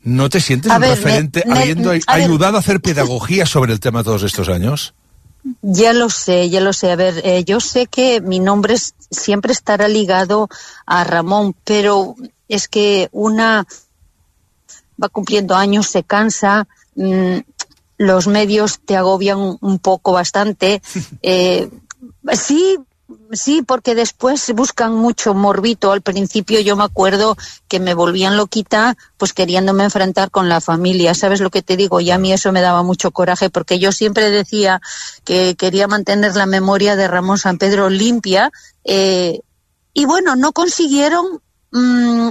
¿No te sientes un referente habiendo ayudado a hacer pedagogía sobre el tema todos estos años? Ya lo sé. A ver, yo sé que mi nombre siempre estará ligado a Ramón, pero es que una va cumpliendo años, se cansa, los medios te agobian un poco, bastante. Sí, porque después buscan mucho morbito. Al principio yo me acuerdo que me volvían loquita, pues queriéndome enfrentar con la familia. ¿Sabes lo que te digo? Y a mí eso me daba mucho coraje, porque yo siempre decía que quería mantener la memoria de Ramón Sampedro limpia, y bueno, no consiguieron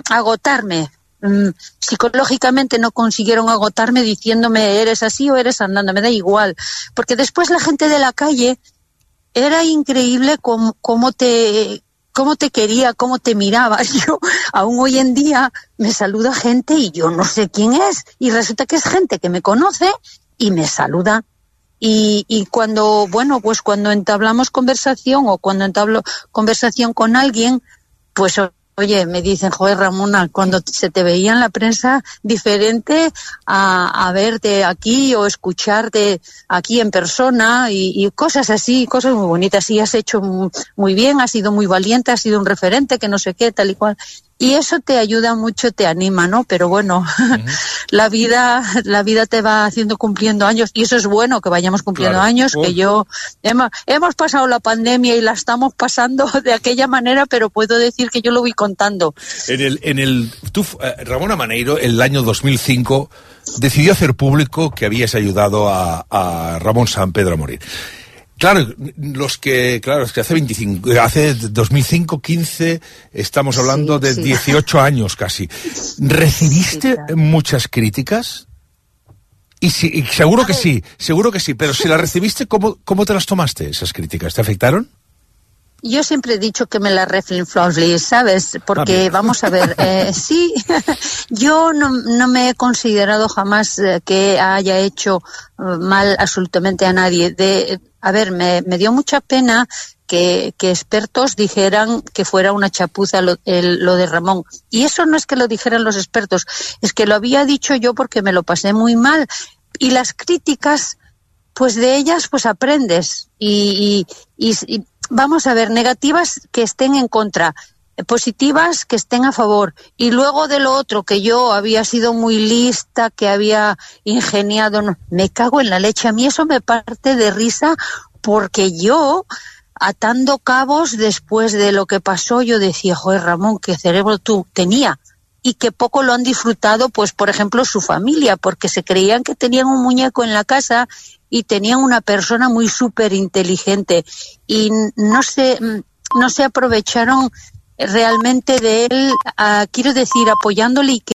agotarme. Psicológicamente no consiguieron agotarme diciéndome eres así o eres andando, me da igual, porque después la gente de la calle... Era increíble cómo te quería, cómo te miraba. Yo aún hoy en día me saluda gente y yo no sé quién es, y resulta que es gente que me conoce y me saluda. Y cuando entablamos conversación, o cuando entablo conversación con alguien, pues oye, me dicen, joder, Ramona, cuando se te veía en la prensa diferente a verte aquí o escucharte aquí en persona, y cosas así, cosas muy bonitas. Y has hecho muy bien, has sido muy valiente, has sido un referente, que no sé qué, tal y cual. Y eso te ayuda mucho, te anima, ¿no? Pero bueno, la vida te va haciendo cumpliendo años, y eso es bueno, que vayamos cumpliendo años, que hemos pasado la pandemia y la estamos pasando de aquella manera, pero puedo decir que yo lo voy contando. Ramona Maneiro, el año 2005, decidió hacer público que habías ayudado a Ramón Sampedro a morir. Claro, es que hace 2005, 15, estamos hablando de 18 años casi. ¿Recibiste muchas críticas? Y seguro que sí, pero si las recibiste, ¿cómo te las tomaste, esas críticas? ¿Te afectaron? Yo siempre he dicho que me la reflinflofli, ¿sabes? Porque, vamos a ver, sí, yo no me he considerado jamás que haya hecho mal absolutamente a nadie. A ver, me dio mucha pena que expertos dijeran que fuera una chapuza lo de Ramón. Y eso no es que lo dijeran los expertos, es que lo había dicho yo porque me lo pasé muy mal. Y las críticas, pues de ellas pues aprendes. Y vamos a ver, negativas que estén en contra, positivas que estén a favor. Y luego de lo otro, que yo había sido muy lista, que había ingeniado, no, me cago en la leche. A mí eso me parte de risa, porque yo, atando cabos después de lo que pasó, yo decía, joder, Ramón, qué cerebro tú tenía. Y que poco lo han disfrutado, pues por ejemplo su familia, porque se creían que tenían un muñeco en la casa y tenían una persona muy súper inteligente, y no se aprovecharon realmente de él, quiero decir, apoyándole, y que